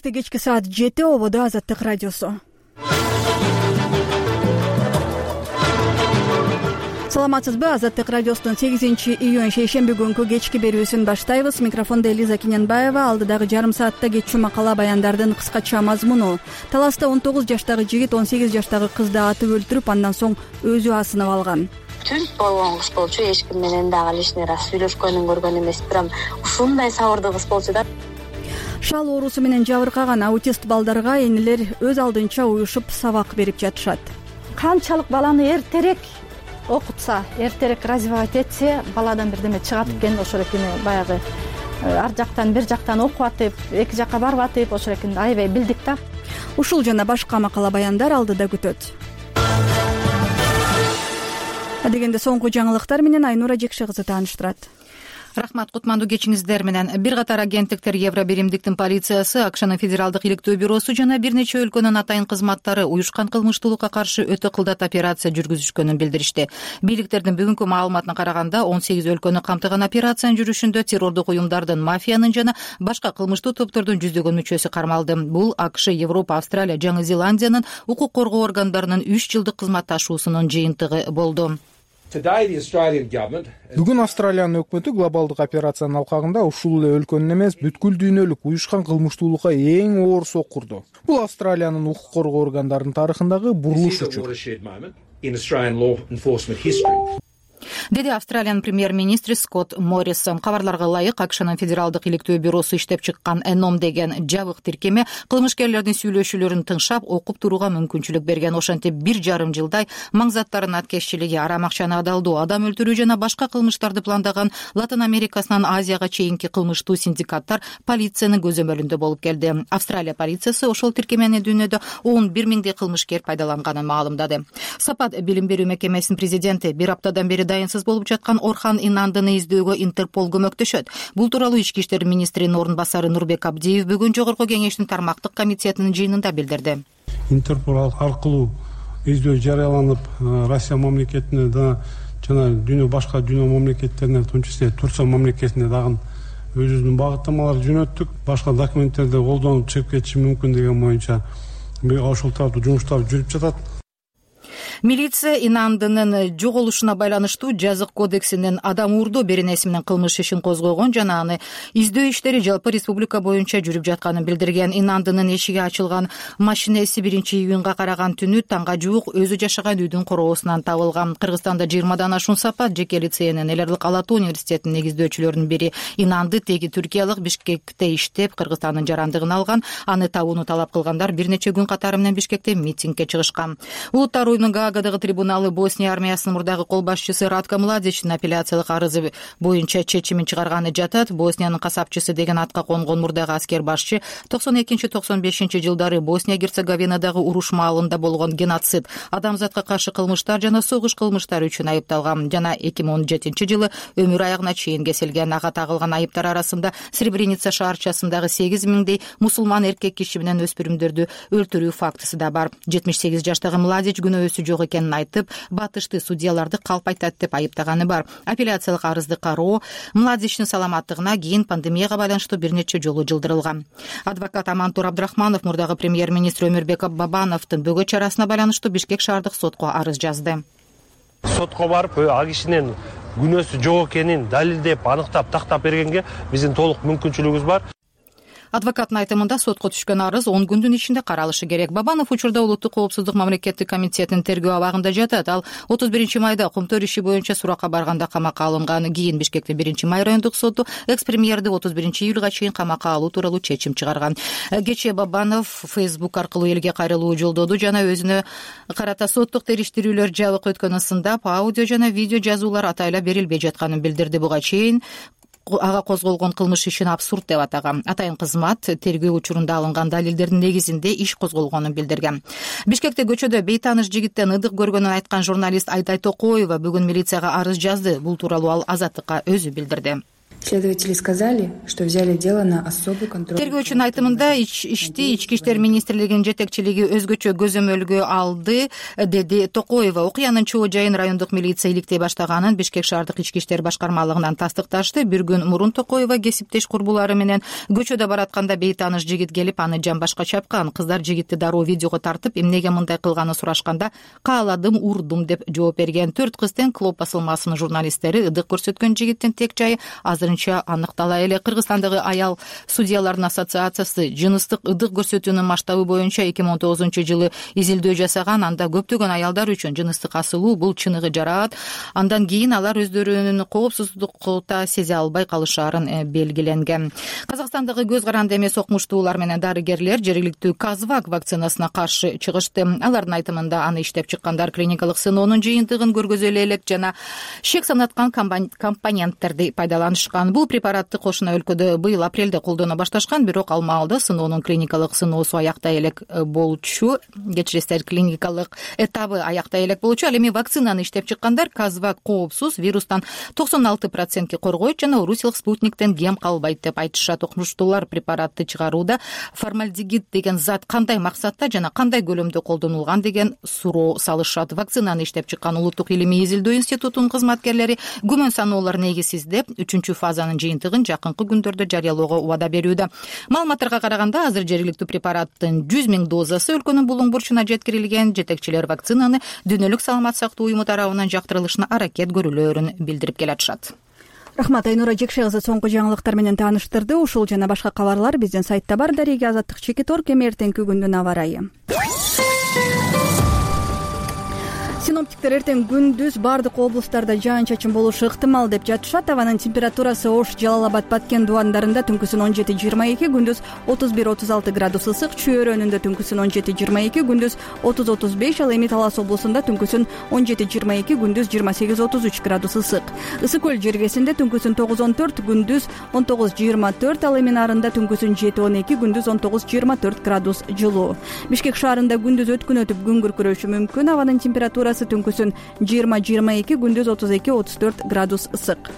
Кечки саат 7 ободо Азаттык радиосу. Саламатсызбы? Азаттык радиосунун 8-июнь шейшемби күнкү кечки берүүсүн баштайбыз. Микрофондо Элиза Киненбаева. Алдыдагы жарым саатта кетчү макала баяндардын кыскача мазмуну. Таласта 19 жаштагы жигит 18 жаштагы кызды атып өлтүрүп, андан соң өзү асынып алган. Түз болгон кыз болчу, эч ким менен дагы лишний раз сүйлөшкөнүн көргөн эмес, бирок ушундай сабырдуу кыз болчу да. Шал оорусу менен жабыркаган аутист балдарга энелер өз алдынча уюшуп сабак берип жатышат. Канчалык баланы эртерээк окутса, эртерээк развивать этсе, баладан бирдеме чыгат экен, ошол экен баягы ар жактан бир жактан окуп атып, эки жакка барып атып, ошол экен аябай билдик да. Ушул жана башка макала баяндар алдыда күтөт. Адегенде соңку жаңылыктар менен Айнура Жекше кызы тааныштырат. Рахмат, кутмандуу кечиңиздер менен. Бир катар агенттиктер Евробиримдиктин полициясы, АКШнын федералдык иликтөө бюросу жана бир нече өлкөнүн атайын кызматтары уюшкан кылмыштуулукка каршы өтө кылдат операция жүргүзүшкөнүн билдиришти. Бийликтердин бүгүнкү маалыматына караганда 18 өлкөнү камтыган операциянын жүрүшүндө террордук уюмдардын, мафиянын жана башка кылмыштуу топтордун жүздөгөн мүчөсү кармалды. Бул АКШ, Европа, Австралия, Жаңы Зеландиянын укук коргоо органдарынын 3 жылдык кызматташуусунун жыйынтыгы болду. Бүгүн Австралиянын өкмөтү глобалдык операциянын алкагында ушул эле өлкөнүн эмес, бүткүл дүйнөлүк уюшкан кылмыштуулукка эң оор соккурду. Бул Австралиянын укук коргоо органдарынын тарыхындагы бурулуш учур, деди Австралиянын премьер-министри Скотт Моррисон. Кабарларга ылайык, АКШнын федералдык иликтөө бюросу иштеп чыккан Эном деген жабык тиркеме кылмышкерлердин сүйлөшүүлөрүн тыңшап, окуп турууга мүмкүнчүлүк берген. Ошентип 1,5 жылдай маңзаттардын аткезчилиги, арам акчаны адалдоо, адам өлтүрүү жана башка кылмыштарды пландаган Латын Америкасынан Азияга чейинки кылмыштуу синдикаттар полициянын көзөмөлүндө болуп келди. Австралия полициясы ошол тиркемени дүйнөдө 11 миңдей кылмышкер пайдаланганын маалымдады. Сапат билим берүү мекемесинин президенти бир аптадан бери дайынсыз болуп жаткан Орхан Инандыны издөөгө Интерпол көмөктөшөт. Бул тууралуу Ички иштер министринин орун басары Нурбек Абдиев бүгүн жогорку кеңештин тармактык комитетинин жыйынында билдирди. Интерпол аркылуу издөө жарыяланып, Россия мамлекетине жана башка дүйнө мамлекеттерине, в том числе Турция мамлекетине дагы өзүбүздүн багыттамаларды жөнөттүк. Башка документтерди колдонуп чыгып кетиши мүмкүн деген боюнча ошол тараптуу жумуштар жүрүп жатат. Милиция Инандынын жоголушуна байланыштуу жазык кодексинин адам уурдоо беренеси менен кылмыш ишин козгогон жана аны издөө иштери жалпы республика боюнча жүрүп жатканын билдирген. Инандынын эшиги ачылган машинеси 1-июнга караган түнү таңга жуук өзү жашаган үйдүн короосунан табылган. Кыргызстанда 20дан ашуун Сапат жеке лицейинин Элерлик Ала Тоо университетинин негиздөөчүлөрүнүн бири. Инанды теги Түркиялык Бишкекте иштеп, Кыргызстандын жарандыгын алган. Аны табууну талап кылгандар бир нече күн катары менен Бишкекте митингге чыгышкан. Улуттар уюунун Гаагадагы трибуналы Босния армиясынын мурдагы кол башчысы Ратко Младичтин апелляциялык арызы боюнча чечимин чыгарганы жатат. Босниянын касапчысы деген атка конгон мурдагы аскер башчы 92-95 жылдары Босния-Герцеговинадагы уруш маалында болгон геноцид, адамзатка каршы кылмыштар жана согуш кылмыштары үчүн айыпталган жана 2017 жылы өмүр аягына чейин кесилген. Ага тагылган айыптар арасында Сребреница шаарчасындагы 8 миңдей мусулман эркек киши менен өспүрүмдөрдү өлтүрүү фактысы да бар. 78 жаштагы Младич күнөөсү жок экенин айтып, батышты судьяларды калпайтат деп айыптаганы бар. Апелляциялык арызды кароо Младичтин саламаттыгына кийин пандемияга байланыштуу бир нече жолу жылдырылган. Адвокат Амантур Абдрахманов мурдагы премьер-министр Өмүрбек Бабановдун бөгөт чарасына байланыштуу Бишкек шаардык сотко арыз жазды. Сотко барып, ал кишинин күнөөсү жок экенин далилдеп, аныктап, тактап бергенге биздин толук мүмкүнчүлүгүбүз бар. Адвокаттын айтымында сотко түшкөн арыз 10 күндүн ичинде каралышы керек. Бабанов учурда Улуттук коопсуздук мамлекеттик комитетинин тергөө абагында жатат. Ал 31 майда Кумтөр иши боюнча суракка барганда камакка алынган. Кийин Бишкектин 1-май райондук соту экс-премьерди 31-июлга чейин камакка алуу тууралуу чечим чыгарган. Кечээ Бабанов Facebook аркылуу элге кайрылуу жолдоду жана өзүнө карата соттук териштирүүлөр жабык өткөнүн сындап, аудио жана видео жазуулар атайлап берилбей жатканын билдирди. Буга чейин ага козголгон кылмыш ишин абсурд деп атаган. Атайын кызмат тергөө учурунда алынган далилдердин негизинде иш козголгонун билдирген. Бишкекте көчөдө бейтааныш жигиттен ыдык көргөнүн айткан журналист Айтай Токоева бүгүн милицияга арыз жазды. Бул тууралуу ал Азаттыкка өзү билдирди. Следователи сказали, что взяли дело на особый контроль. Тергөөчүнүн айтымында ишти Ички иштер министрлигинин жетекчилиги өзгөчө көзөмөлгө алды, деди Токоева. Окуянын чоо жайын райондук милиция иликтей баштаганын Бишкек шаардык ички иштер башкармалыгынан тастыкташты. Бир күн мурун Токоева кесиптеш курбулары менен көчөдө баратканда бейтааныш жигит келип, аны жамбашка чапкан. Кыздар жигитти дароо видеого тартып, эмнеге мындай кылганын сурашканда, кааладым, урдум деп жооп берген. 4 кыз тең Клоп басылмасынын журналисттери ыдык көрсөткөн жигиттин тек жайы азырынча аныктала элек. Кыргызстандагы аял судьялардын ассоциациясы жыныстык ыдык көрсөтүүнүн масштабы боюнча 2019-жылы изилдөө жасаган. Анда көптөгөн аялдар үчүн жыныстык асылуу бул чыныгы жараат. Андан кийин алар өздөрүнүн коопсуздукта сезе албай калышаарын белгиленген. Казакстандагы көз каранды эмес окумуштуулар менен дарыгерлер жергиликтүү Казвак вакцинасына каршы чыгышты. Алардын айтымында аны иштеп чыккандар клиникалык сыноонун жыйынтыгын көргөзөлө элек жана шек санаткан компоненттерди пайдаланышкан. Бул препаратты кошуна өлкөдө быйыл апрелде колдоно башташкан, бирок ал маалда сыноонун клиникалык сыноосу аяктай элек болчу. Кечиресиздер, клиникалык этабы аяктай элек болчу. Ал эми вакцинаны иштеп чыккандар Казвак коопсуз, вирустан 96% коргойт жана орусиялык спутниктен кем калбайт деп айтышат. Окумуштуулар препаратты чыгарууда формальдегид деген зат кандай максатта жана кандай көлөмдө колдонулган деген суроо салышат. Вакцинаны иштеп чыккан Улуттук илимий изилдөө институтунун кызматкерлери күмөн саноолор негизсиз деп 3-фазанын жыйынтыгын жакынкы күндөрдө жарыялоого убада берүүдө. Маалыматтарга караганда азыр жергиликтүү препараттын 100 000 дозасы өлкөнүн булуң бурчуна жеткирилген. Жетекчилер вакцинаны Дүйнөлүк саламат сактоо уюму тарабынан жактырылышына аракет көрүлөөрүн билдирип келатышат. Рахмат, Айнура Жекше кызы соңку жаңылыктар менен тааныштырды. Ушул жана башка кабарлар биздин сайтта бар. Дареги Азаттык Чекиторг. Эми эртеңки күндүн аба ырайы. Синоптиктер эртең күндүз бардык облустарда жаан-чачын болушу ыктымал деп жатышат. Абанын температурасы Ош, Жалал-Абад, Баткен дубандарында түнкүсүн 17-22, күндүз 31-36 градус ысык, Чүй өрөөнүндө түнкүсүн 17-22, күндүз 30-35, ал эми Талас облусунда түнкүсүн 17-22, күндүз 28-33 градус ысык. Ысык көл жергесинде түнкүсүн 9-14, күндүз 19-24, ал эми Нарында түнкүсүн 7-12, күндүз 19-24 градус жылуу. Бишкек шаарында күндүз өткүн өтүп күн күркүрөшү мүмкүн. Абанын температурасы түнкүсүн 20-22, күндүз 32-34 градус ысык.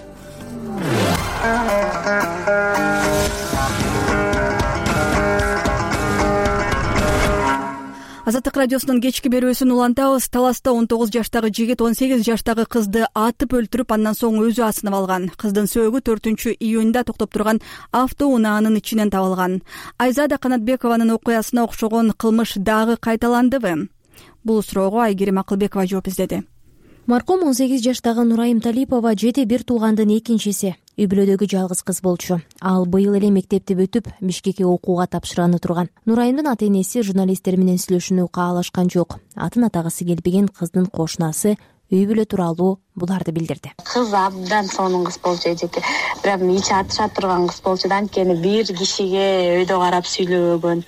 Азаттык радиосунун кечки берүүсүн улантабыз. Таласта 19 жаштагы жигит 18 жаштагы кызды атып өлтүрүп, андан соң өзү асынып алган. Кыздын сөөгү 4-июнда токтоп турган автоунаанын ичинен табылган. Айзада Канатбекованын окуясына окшогон кылмыш дагы кайталандыбы? Бул суроого Айгерим Акылбекова жооп издеди. Маркум 18 жаштагы Нурайым Талипова жети бир туугандын экинчиси. Үй бүлөдөгү жалгыз кыз болчу. Ал быйыл эле мектепти бүтүп, Бишкекке окууга тапшырганы турган. Нурайымдын ата-энеси журналисттер менен сүйлөшүүнү каалашкан жок. Атын атагысы келбеген кыздын кошунасы үй бүлө тууралуу буларды билдирди. Кыз абдан сонун кыз болчу эжеке. Прям ичи атыша турган кыз болчу да, анткени бир кишиге өйдө карап сүйлөбөгөн.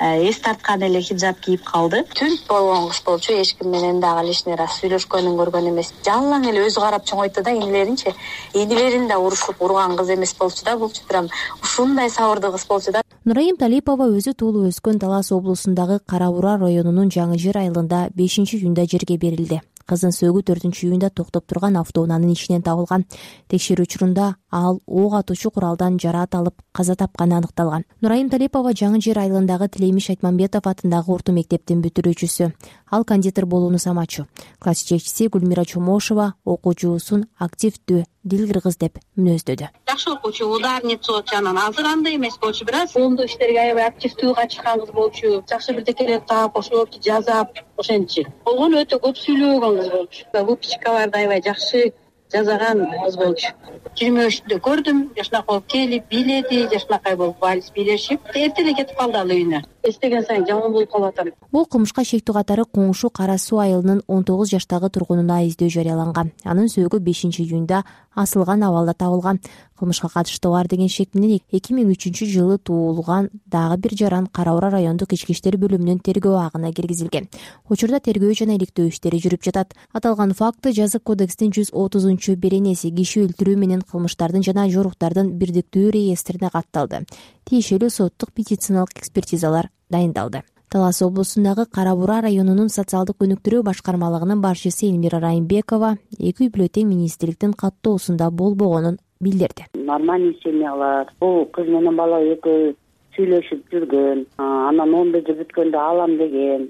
Эс тарткан эле хиджаб кийип калды. Түнт болгон кыз болчу, эч ким менен дагы лишний раз сүйлөшкөнүн көргөн эмес. Жалаң эле өзү карап чоңойтты да, инилеринчи. Инилерин да урушуп урган кыз эмес болчу да, булчу прям ушундай сабырдуу кыз болчу да. Нурайым Талипова өзү туулуп өскөн Талас облусундагы Кара Бура районунун Жаңы Жер айылында 5-июнда жерге берилди. Кыздын сөөгү 4-июнда токтоп турган автоунаанын ичинен табылган. Текшерүү учурунда ал ок атуучу куралдан жараат алып каза тапканы аныкталган. Нурайым Талипова Жаңы Жер айылындагы Тилемиш Айтмамбетов атындагы орто мектептин бүтүрүүчүсү. Ал кондитер болууну самачу. Класс жетекчиси Гүлмира Чомошова окуучусун активдүү, дил кыргыз деп мүнөздөдү. Жакшы окуучу, ударница жанынан азыр андай эмес болчу, бирок коомдук иштерге аябай активдүү катышкан кыз болчу. Жакшы бирдекелерди таап, ошол жазап, ошентчи. Болгону өтө көп сүйлөгөн кыз болчу. Выпускаларды аябай жакшы жазаган кыз болчу. 23-дө көрдүм, жашнакай болуп келип бийледи, жашнакай болуп вальс бийлешип, эрте эле кетип калды ал үйүнө. Эстеген сайын жаман болуп калып атам. Бул кылмышка шектүү катары коңшу Кара Суу айылынын 19 жаштагы тургунуна издөө жарыяланган. Анын сөөгү 5-июнда асылган абалда табылган. Кылмышка катыштыгы бар деген шек менен 2003-жылы туулган дагы бир жаран Кара Бура райондук ички иштер бөлүмүнүн тергөө агына киргизилген. Учурда тергөө жана иликтөө иштери жүрүп жатат. Аталган факты жазык кодекстин 130 беренеси киши өлтүрүү менен кылмыштардын жана жоруктардын бирдиктүү реестрине катталды. Тиешелүү соттук медициналык экспертизалар дайындалды. Талас облусундагы Кара Бура районунун социалдык өнүктүрүү башкармалыгынын башчысы Элмира Райымбекова эки үй бүлө тең министрликтин каттоосунда болбогонун билдирди. Нормальный семьялар, бул кыз менен бала экөө сүйлөшүп жүргөн, анан 11 бүткөндө алам деген,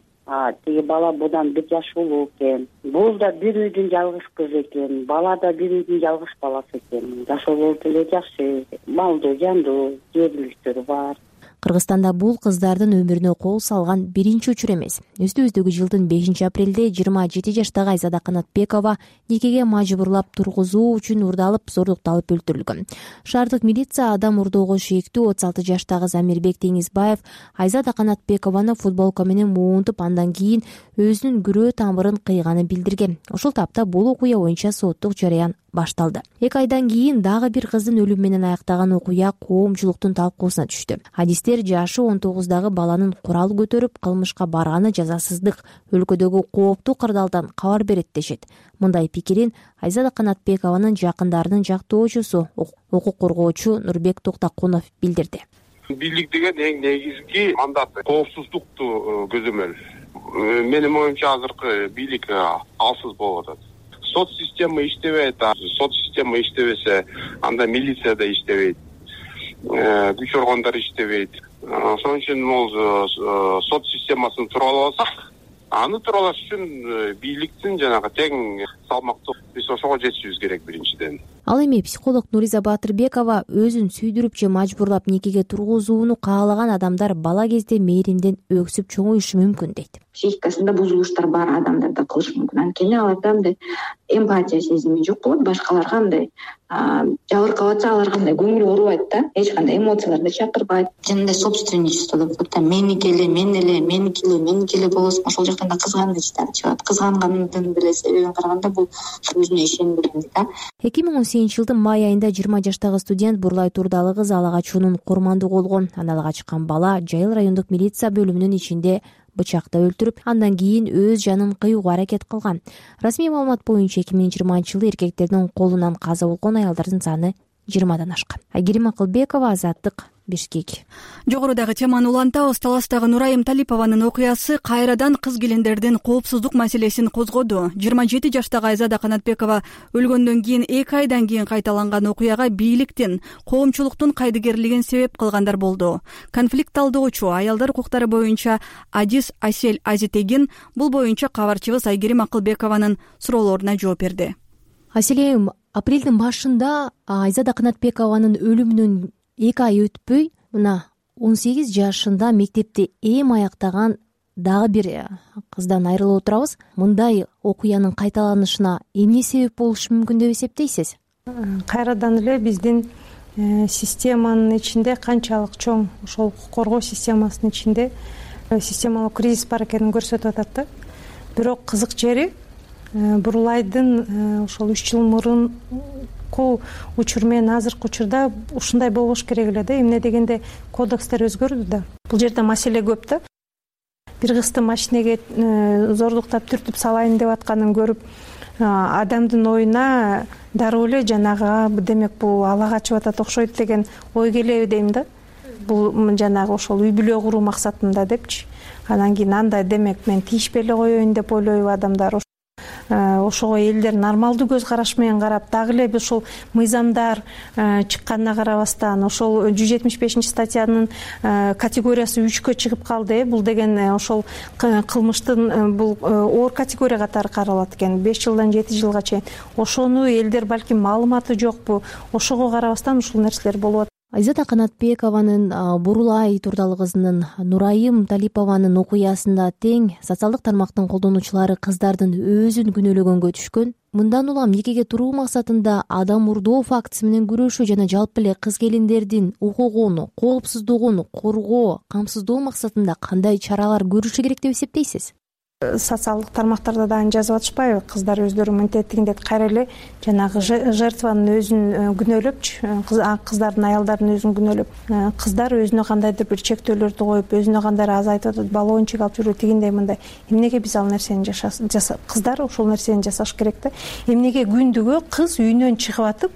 тиги бала будан 1 жаш улуу экен. Бул да бир үйдүн жалгыз кызы экен, бала да бир үйдүн жалгыз баласы экен. Жашоо болуп эле жакшы, малдуу, жандуу, жергиликтери бар. Кыргызстанда бул кыздардын өмүрүнө кол салган биринчи учур эмес. Үстүбүздөгү жылдын 5-апрелде 27 жаштагы Айзада Канатбекова никеге мажбурлап тургузуу үчүн урдалып, зордукталып өлтүрүлгөн. Шаардык милиция адам урдоого шектүү 36 жаштагы Замирбек Деңизбаев Айзада Канатбекованы футболка менен муунтуп, андан кийин өзүнүн күрөө тамырын кыйганын билдирген. Ошол тапта бул окуя боюнча соттук жарыян башталды. 2 айдан кийин дагы бир кыздын өлүмү менен аяктаган окуя коомчулуктун талкуусуна түштү. Хадистер жашы 19дагы баланын курал көтөрүп кылмышка барганы жазасыздык, өлкөдөгү кооптуу кырдаалдан кабар берет дешет. Мындай пикирин Айзада Канатбекованын жакындарынын жактоочусу, укук коргоочу Нурбек Токтокунов билдирди. Бийлик деген эң негизги мандат коопсуздукту көзөмөл. Менин оюмча азыркы бийлик алсыз болуп атат. Сот система иштебейт. Сот система иштебесе, анда милиция да иштебейт. Күч органдары иштебейт. Ошон үчүн бул сот системасын тураласак, аны туралаш үчүн бийликтин жанагы тең салмактуу биз ошого жетишибиз керек биринчиден. Ал эми психолог Нуриза Батырбекова өзүн сүйдүрүп же мажбурлап никеге тургузууну каалаган адамдар бала кезде мээримден өксүп чоңоюшу мүмкүн дейт. Психикасында бузулуштар бар адамдарда кылышы мүмкүн. Анткени аларда андай эмпатия сезими жок болот, башкаларга андай жабыркап атса аларга андай көңүл оорубайт да, эч кандай эмоцияларды чакырбайт. Жанында собственничество деп коет, меники эле болосун, ошол жактан да кызганыч чыгат. Кызганганын деле себебин караганда бул өзүнө ишенгенди да. 2018 жылдын май айында 20 жаштагы студент Бурлай Турдалы кыз ала качуунун курмандыгы болгон. Аны качкан бала Жайыл райондук милиция бөлүмүнүн ичинде бычакта өлтүрүп, андан кийин өз жанын кыюуга аракет кылган. Расмий маалымат боюнча 2020 жылы эркектердин колунан каза болгон аялдардын саны 20дан ашкан. Айгерим Акылбекова, Азаттык, Бишкек. Жогорудагы теманы улантабыз. Таластагы Нурайым Талипованын окуясы кайрадан кыз келиндердин коопсуздук маселесин козгоду. 27 жаштагы Айзада Канатбекова өлгөндөн кийин 2 айдан кийин кайталанган окуяга бийликтин, коомчулуктун кайдыгерлигин себеп кылгандар болду. Конфликт талдоочу аялдар укуктары боюнча Адис Асель Азитегин бул боюнча кабарчыбыз Айгерим Акылбекованын суроолоруна жооп берди. Аселем, апрелдин башында Айзада Канатбекованын өлүмүнөн 2 ай өтпөй, мына 18 жашында мектепти эм аяктаган дагы бир кыздан айрылып отурабыз. Мындай окуянын кайталанышына эмне себеп болушу мүмкүн деп эсептейсиз? Кайрадан эле биздин системанын ичинде канчалык чоң, ошол укук коргоо системасынын ичинде системалуу кризис бар экенин көрсөтүп атат да. Бирок кызык жери Бурлайдын ошол 3 жыл мурунку учур менен азыркы учурда ушундай болбош керек эле да. Эмне дегенде кодекстер өзгөрдү да. Бул жерде маселе көп да. Бир кызды машинеге зордуктап түртүп салайын деп атканын көрүп, адамдын оюна дароо эле жанагы демек бул ала качып атат окшойт деген ой келеби дейм да. Бул жанагы ошол үй бүлө куруу максатында депчи. Анан кийин андай демек мен тийишпей эле коеюн деп ойлойбу адамдар. Ошого элдер нормалдуу көз караш менен карап, дагы эле ушул мыйзамдар чыкканына карабастан, ошол 175 статьянын категориясы 3кө чыгып калды. Бул деген ошол кылмыштын бул оор категория катары каралат экен, 5 жылдан 7 жылга чейин. Ошону элдер балким маалыматы жокпу, ошого карабастан ушул нерселер болуп атат. Айзада Канатбекованын, Бурлай Турдалы кызынын, Нурайым Талипованын окуясында тең социалдык тармактын колдонуучулары кыздардын өзүн күнөөлөгөнгө түшкөн. Мындан улам никеге туруу максатында адам урдоо фактысы менен күрөшүү жана жалпы эле кыз келиндердин укугун, коопсуздугун коргоо, камсыздоо максатында кандай чаралар көрүшү керек деп эсептейсиз? Социалдык тармактарда дагы жазып атышпайбы? Кыздар өздөрү мынтетигиндей кайра эле жанагы жертванын өзүн күнөөлөпчү, кыздардын, аялдардын өзүн күнөөлөп, кыздар өзүнө кандайдыр бир чектөөлөрдү коюп, өзүнө кандайдыр азайтып атат, баллончик алып жүрүү тигиндей мындай. Эмнеге биз ал нерсени кыздар ошол нерсени жасаш керек да? Эмнеге күндүгө кыз үйүнөн чыгып атып,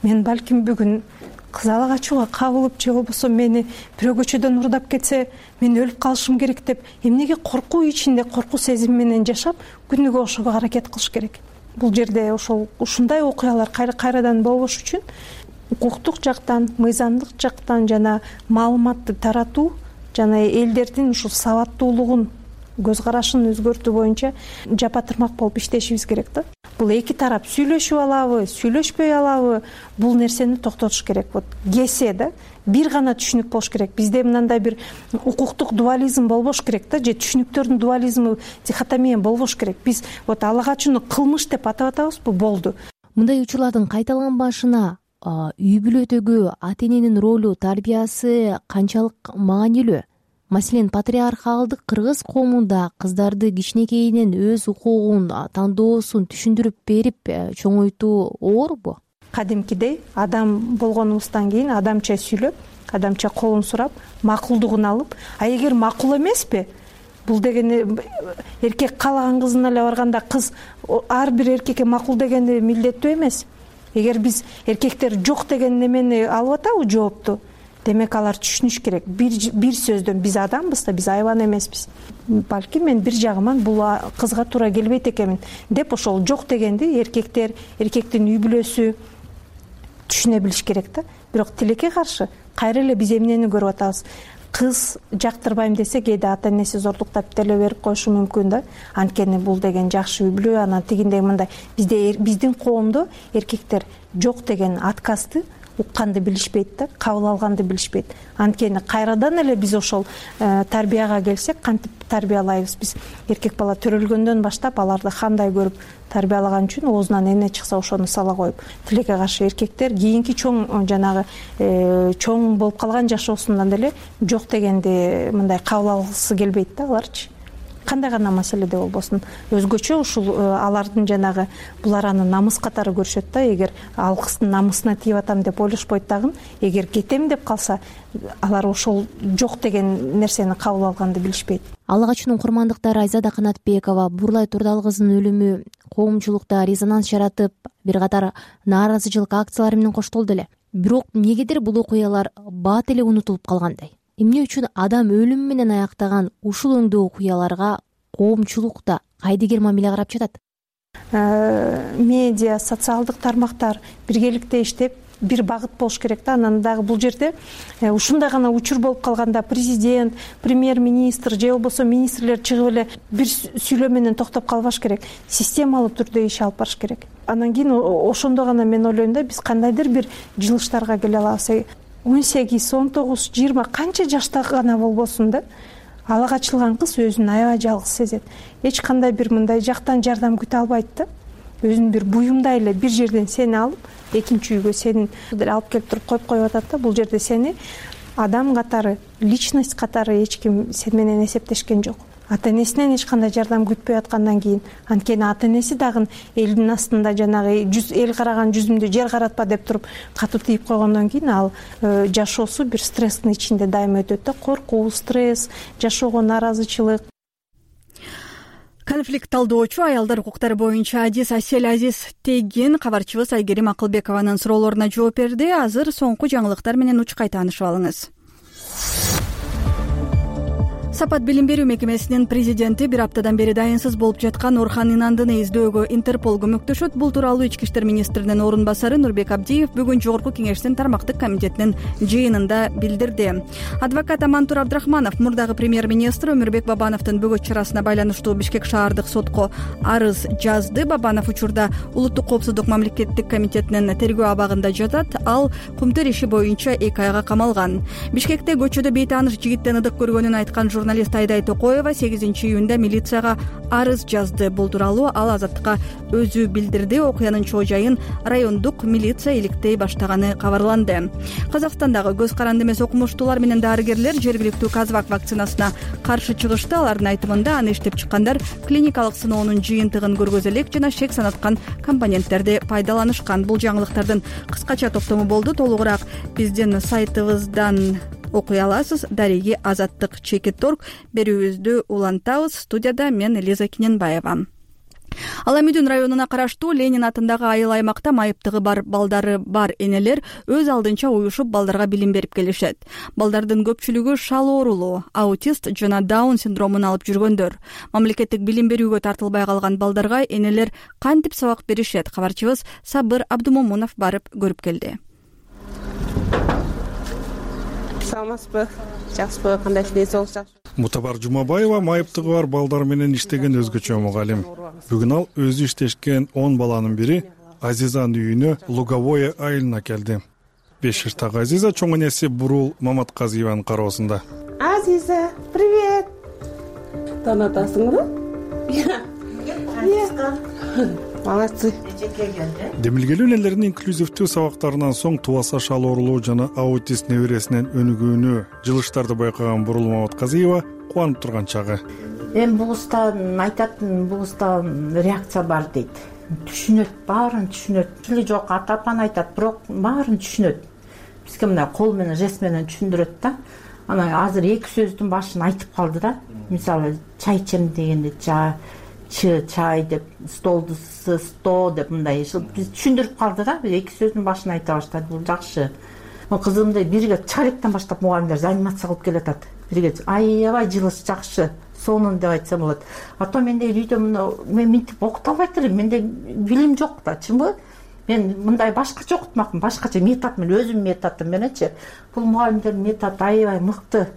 мен балким бүгүн кыз ала качууга кабылып же болбосо мени бирөө көчөдөн урдап кетсе мен өлүп калышым керек деп эмнеге коркуу ичинде, коркуу сезими менен жашап күнүгө ошого аракет кылыш керек? бул жерде ушундай окуялар кайрадан болбош үчүн укуктук жактан, мыйзамдык жактан жана маалыматты таратуу жана элдердин ушул сабаттуулугун, көз карашын өзгөртүү боюнча жапатырмак болуп иштешибиз керек да. Бул эки тарап сүйлөшүп алабы, сүйлөшпөй алабы, бул нерсени токтотуш керек. Вот кесе да бир гана түшүнүк болуш керек. Бизде мындай бир укуктук дуализм болбош керек да, же түшүнүктөрдүн дуализмы, дихотомия болбош керек. Биз вот ала качууну кылмыш деп атап атабызбы, болду. Мындай учурлардын кайталанбашына үй бүлөдөгү ата эненин ролу, тарбиясы канчалык маанилүү? Маселен, патриархалдык кыргыз коомунда кыздарды кичинекейинен өз укугун, тандоосун түшүндүрүп берип чоңойтуу оорбу? Кадимкидей адам болгонубуздан кийин адамча сүйлөп, адамча колун сурап, макулдугун алып, эгер макул эмеспи, бул деген эркек каалаган кызына эле барганда кыз ар бир эркекке макул дегенди милдеттүү эмес. Эгер биз эркектер жок деген немени алып атабы жоопту, демек алар түшүнүш керек. Бир сөздөн биз адамбыз да, биз айбан эмеспиз. Балким мен бир жагыман бул кызга туура келбейт экенмин деп ошол жок дегенди эркектер, эркектин үй бүлөсү түшүнө билиш керек да. Бирок тилекке каршы кайра эле биз эмнени көрүп атабыз? Кыз жактырбайм десе, кээде ата энеси зордуктап деле берип коюшу мүмкүн да. Анткени бул деген жакшы үй бүлө, анан тигиндей мындай. Биздин коомдо эркектер жок деген отказды укканды билишпейт да, кабыл алганды билишпейт. Анткени кайрадан эле биз ошол тарбияга келсек, кантип тарбиялайбыз? Биз эркек бала төрөлгөндөн баштап аларды кандай көрүп тарбиялаган үчүн оозунан эмне чыкса ошону сала коюп. Тилекке каршы эркектер кийинки чоң жанагы чоң болуп калган жашоосундан деле жок дегенди мындай кабыл алгысы келбейт да аларчы. Кандай гана маселеде болбосун, өзгөчө ушул алардын жанагы булар аны намыс катары көрүшөт да. Эгер ал кыздын намысына тийип атам деп ойлошпойт дагы, эгер кетем деп калса, алар ошол жок деген нерсени кабыл алганды билишпейт. Ала качуунун курмандыктары Айзада Канатбекова Бурлай Турдал кызынын өлүмү коомчулукта резонанс жаратып, бир катар нааразычылык акциялары менен коштолду эле. Бирок эмнегедир бул окуялар бат эле унутулуп калгандай? Эмне үчүн адам өлүм менен аяктаган ушул өңдүү окуяларга коомчулукта кайдыгер мамиле карап жатат? Медиа, социалдык тармактар биргеликте иштеп бир багыт болуш керек да. Анан дагы бул жерде ушундай гана учур болуп калганда президент, премьер-министр же болбосо министрлер чыгып эле бир сүйлөө менен токтоп калбаш керек. Системалуу түрдө иш алып барыш керек. Анан кийин ошондо гана мен ойлойм да, биз кандайдыр бир жылыштарга келе алабыз. 18, 19, 20 канча жашта гана болбосун да, ала качылган кыз өзүн аябай жалгыз сезет. Эч кандай бир мындай жактан жардам күтө албайт да. Өзүн бир буюмдай эле бир жерден сени алып, экинчи үйгө сени алып келип туруп коюп атат да. Бул жерде сени адам катары, личность катары эч ким сен менен эсептешкен жок. Ата энесинен эч кандай жардам күтпөй аткандан кийин, анткени ата энеси дагы элдин астында жанагы эл караган жүзүмдү жер каратпа деп туруп катуу тийип койгондон кийин ал жашоосу бир стресстин ичинде дайыма өтөт да. Коркуу, стресс, жашоого нааразычылык. Конфликт талдоочу аялдар укуктары боюнча Адис Асель Азиз Тегин кабарчыбыз Айгерим Акылбекованын суроолоруна жооп берди. Азыр соңку жаңылыктар менен учкай таанышып алыңыз. Сапат билим берүү мекемесинин президенти бир аптадан бери дайынсыз болуп жаткан Орхан Инандыны издөөгө Интерпол көмөктөшөт. Бул тууралуу Ички иштер министринин орун басары Нурбек Абдиев бүгүн Жогорку кеңештин тармактык комитетинин жыйынында билдирди. Адвокат Амантур Абдрахманов мурдагы премьер-министр Өмүрбек Бабановдун бөгөт чарасына байланыштуу Бишкек шаардык сотко арыз жазды. Бабанов учурда Улуттук коопсуздук мамлекеттик комитетинин тергөө абагында жатат. Ал кумтер иши боюнча 2 айга камалган. Бишкекте көчөдө бейтааныш жигиттен ыдык көргөнүн айткан журналист Айдай Токоева 8-июнда милицияга арыз жазды. Бул тууралуу ал Азаттыкка өзү билдирди. Окуянын чоо жайын райондук милиция иликтей баштаганы кабарланды. Казакстандагы көз каранды эмес окумуштуулар менен дарыгерлер жергиликтүү Казвак вакцинасына каршы чыгышты. Алардын айтымында аны иштеп чыккандар клиникалык сыноонун жыйынтыгын көргөзө элек жана шек санаткан компоненттерди пайдаланышкан. Бул жаңылыктардын кыскача топтому болду. Толугураак биздин сайтыбыздан окуй аласыз. Дареги Азаттык /Чекит.org берүүбүздү улантабыз. Студияда мен Лиза Киненбаева. Аламүдүн районуна караштуу Ленин атындагы айыл аймакта майыптыгы бар балдары бар энелер өз алдынча уюшуп балдарга билим берип келишет. Балдардын көпчүлүгү шал оорулуу, аутист жана даун синдромун алып жүргөндөр. Мамлекеттик билим берүүгө тартылбай калган балдарга энелер кантип сабак беришет? Кабарчыбыз Сабыр Абдумомунов барып көрүп келди. Саламатсызбы? Жакшыбы? Кандай иштейсиз? Жакшы. Мутабар Жумабаева майыптыгы бар балдар менен иштеген өзгөчө мугалим. Бүгүн ал өзү иштешкен 10 баланын бири Азизанын үйүнө Луговое айылына келди. 5 жаштагы Азиза чоң энеси Бурул Маматказиеванын кароосунда. Азиза, привет. Танатасыңбы? Молодцы. Демилгелүү энелердин инклюзивдүү сабактарынан соң тубаса шал оорулуу жана аутист небересинен өнүгүүнү, жылыштарды байкаган Бурул Маматказиева кубанып турган чагы. Эми бугуздан айтатын, бугуздан реакция бар дейт. Түшүнөт, баарын түшүнөт. Тили жок, ата-апаны айтат, бирок баарын түшүнөт. Бизге мына кол менен, жест менен түшүндүрөт да. Анан азыр эки сөздүн башын айтып калды да. Мисалы, чай ичем дегенде чай деп, столду сто деп мындай биз түшүндүрүп калды да. Эки сөздүн башын айта баштады. Бул жакшы. Кызымды бирге чалектен баштап мугалимдер анимация кылып келатат. Бирге аябай жылыш жакшы. Сонун деп айтсам болот. Ата менде үйдө мен мынтип окута албайт элем. Менде билим жок да, чынбы? Мен мындай башкача окутмакмын, башкача метод менен, өзүмдүн методум мененчи. Бул мугалимдердин методу аябай мыкты.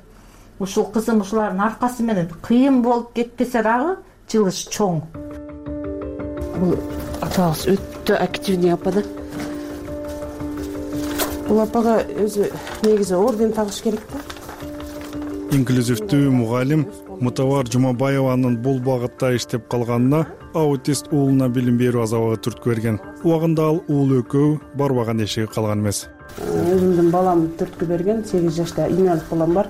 Ушул кызым ушулардын аркасы менен кыйын болуп кетпесе дагы жылыш чоң. Бул атабыз өтө активный апа да. Бул апага өзү негизи орден тагыш керек да. Инклюзивдүү мугалим Мутабар Жумабаеванын бул багытта иштеп калганына аутист уулуна билим берүү азабы түрткү берген. Убагында ал уулу экөө барбаган эшиги калган эмес. Өзүмдүн балам түрткү берген, 8 жашта инвалид балам бар,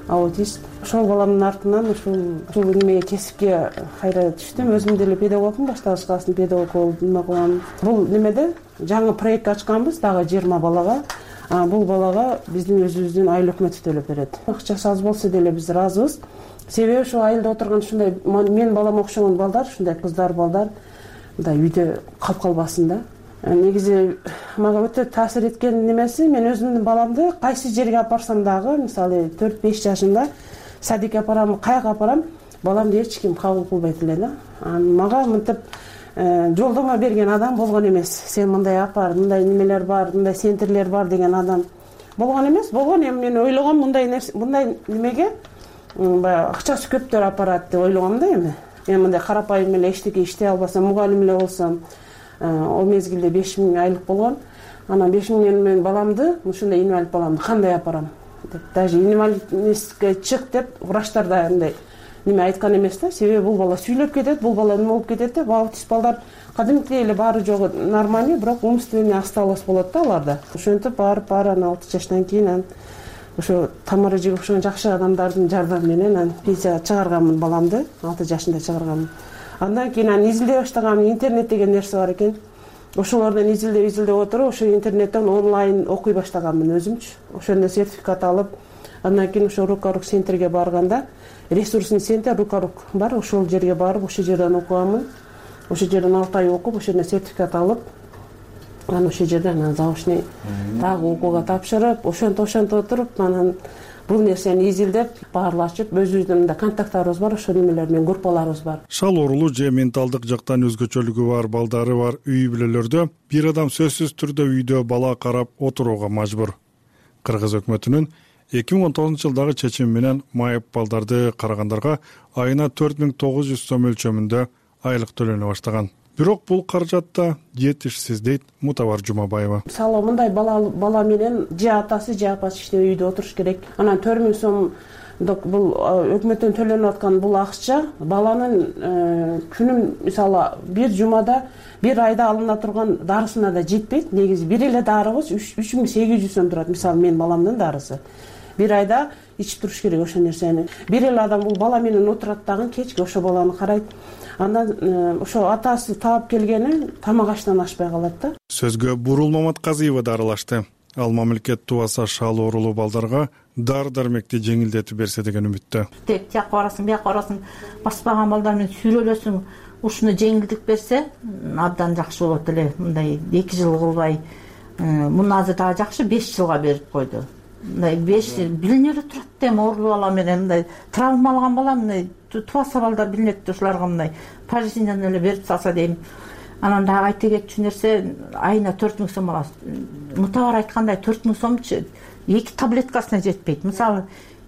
аутист. Ошол баламдын артынан ушул немеге кесипке кайра түштүм. Өзүм деле педагогмун, баштагыч класстын педагогу болдум. Бул немеде жаңы проект ачканбыз, дагы 20 балага. Бул балага биздин өзүбүздүн айыл өкмөтү төлөп берет. Акчасы аз болсо деле биз ыраазыбыз. Себеби ошо айылда отурган ушундай мен балам окшогон балдар, ушундай кыздар, балдар мындай үйдө калып калбасын да. Негизи мага өтө таасир эткен немеси, мен өзүмдүн баламды кайсы жерге апарсам дагы, мисалы 4-5 жашында садикке апарам, каяка апарам, баламды эч ким кабыл кылбайт эле да. Мага мынтип жолдомо берген адам болгон эмес. Сен мындай апар, мындай немелер бар, мындай центрлер бар деген адам болгон эмес. Болгон эми мен ойлогом мындай немеге баягы акчасы көптөр апарат деп ойлогом да эми. Мен мындай карапайым эле эчтеке иштей албасам, мугалим эле болсом, ал мезгилде 5000 айлык болгон. Анан 5000 мен баламды, ушундай инвалид баламды кандай апарам деп, даже инвалидностьке чык деп врачтар да мындай неме айткан эмес да. Себеби бул бала сүйлөп кетет, бул бала неме болуп кетет деп, аутист балдар кадимкидей эле баары жогу нормальный, бирок умственный осталость болот да аларда. Ошентип барып 6 жаштан кийин ошо тамыры жигип ошон жакшы адамдардын жардамы менен пенсияга чыгарганмын баламды, 6 жашында чыгарганмын. Андан кийин изилдей баштагам, интернет деген нерсе бар экен. Ошолордон изилдеп отуруп, ошо интернеттен онлайн окуй баштаганмын өзүмчү. Ошондо сертификат алып, андан кийин ошо Рукарук центрге барганда, ресурсный центр Рукарук бар, ошол жерге барып, ошол жерден окуганмын. Ошол жерден 6 ай окуп, ошондон сертификат алып, анан ошол жерден заочный дагы окууга тапшырып, ошентип отуруп, анан бул нерсени изилдеп, баарлашып, өзүбүздүн контакттарыбыз бар, ошол немелер менен группаларыбыз бар. Шал оорулуу же менталдык жактан өзгөчөлүгү бар балдары бар үй бүлөлөрдө бир адам сөзсүз түрдө үйдө бала карап отурууга мажбур. Кыргыз өкмөтүнүн 2019 жылдагы чечими менен майып балдарды карагандарга айына 4900 сом өлчөмүндө айлык төлөнө баштаган. Бирок бул каражатта жетишсиз дейт Мутабар Жумабаева. Мисалы мындай бала менен же атасы же апасы иштебей үйдө отуруш керек. Анан 4000 сом бул өкмөттөн төлөнүп аткан бул акча баланын күнүн мисалы бир жумада, бир айда алына турган дарысына да жетпейт. Негизи бир эле дарыбыз 3800 сом турат. Мисалы мен баламдын дарысы. Бир айда ичип туруш керек ошол нерсени. Бир эле адам бул бала менен отурат дагы, кечки ошо баланы карайт. Андан ошо атасы таап келгени тамак аштан ашпай калат да. Сөзгө Бурул Маматказиева да аралашты. Ал мамлекет тубаса шал оорулуу балдарга дары дармекти жеңилдетип берсе деген үмүттө. Тияка барасың, бияка барасың, баспаган балдар менен сүйлөлөсүң, ушуну жеңилдик берсе абдан жакшы болот эле. Мындай 2 жыл кылбай, муну азыр дагы жакшы 5 жылга берип койду. Мындай 5 жыл билине эле турат да, эми оорулуу бала менен мындай травма алган бала мындай тубаса балдар билинет да, ушуларга мындай пожизненно эле берип салса дейм. Анан дагы айта кетчү нерсе, айына 4000 сом алат. Мутабар айткандай 4000 сомчу 2 таблеткасына жетпейт. Мисалы,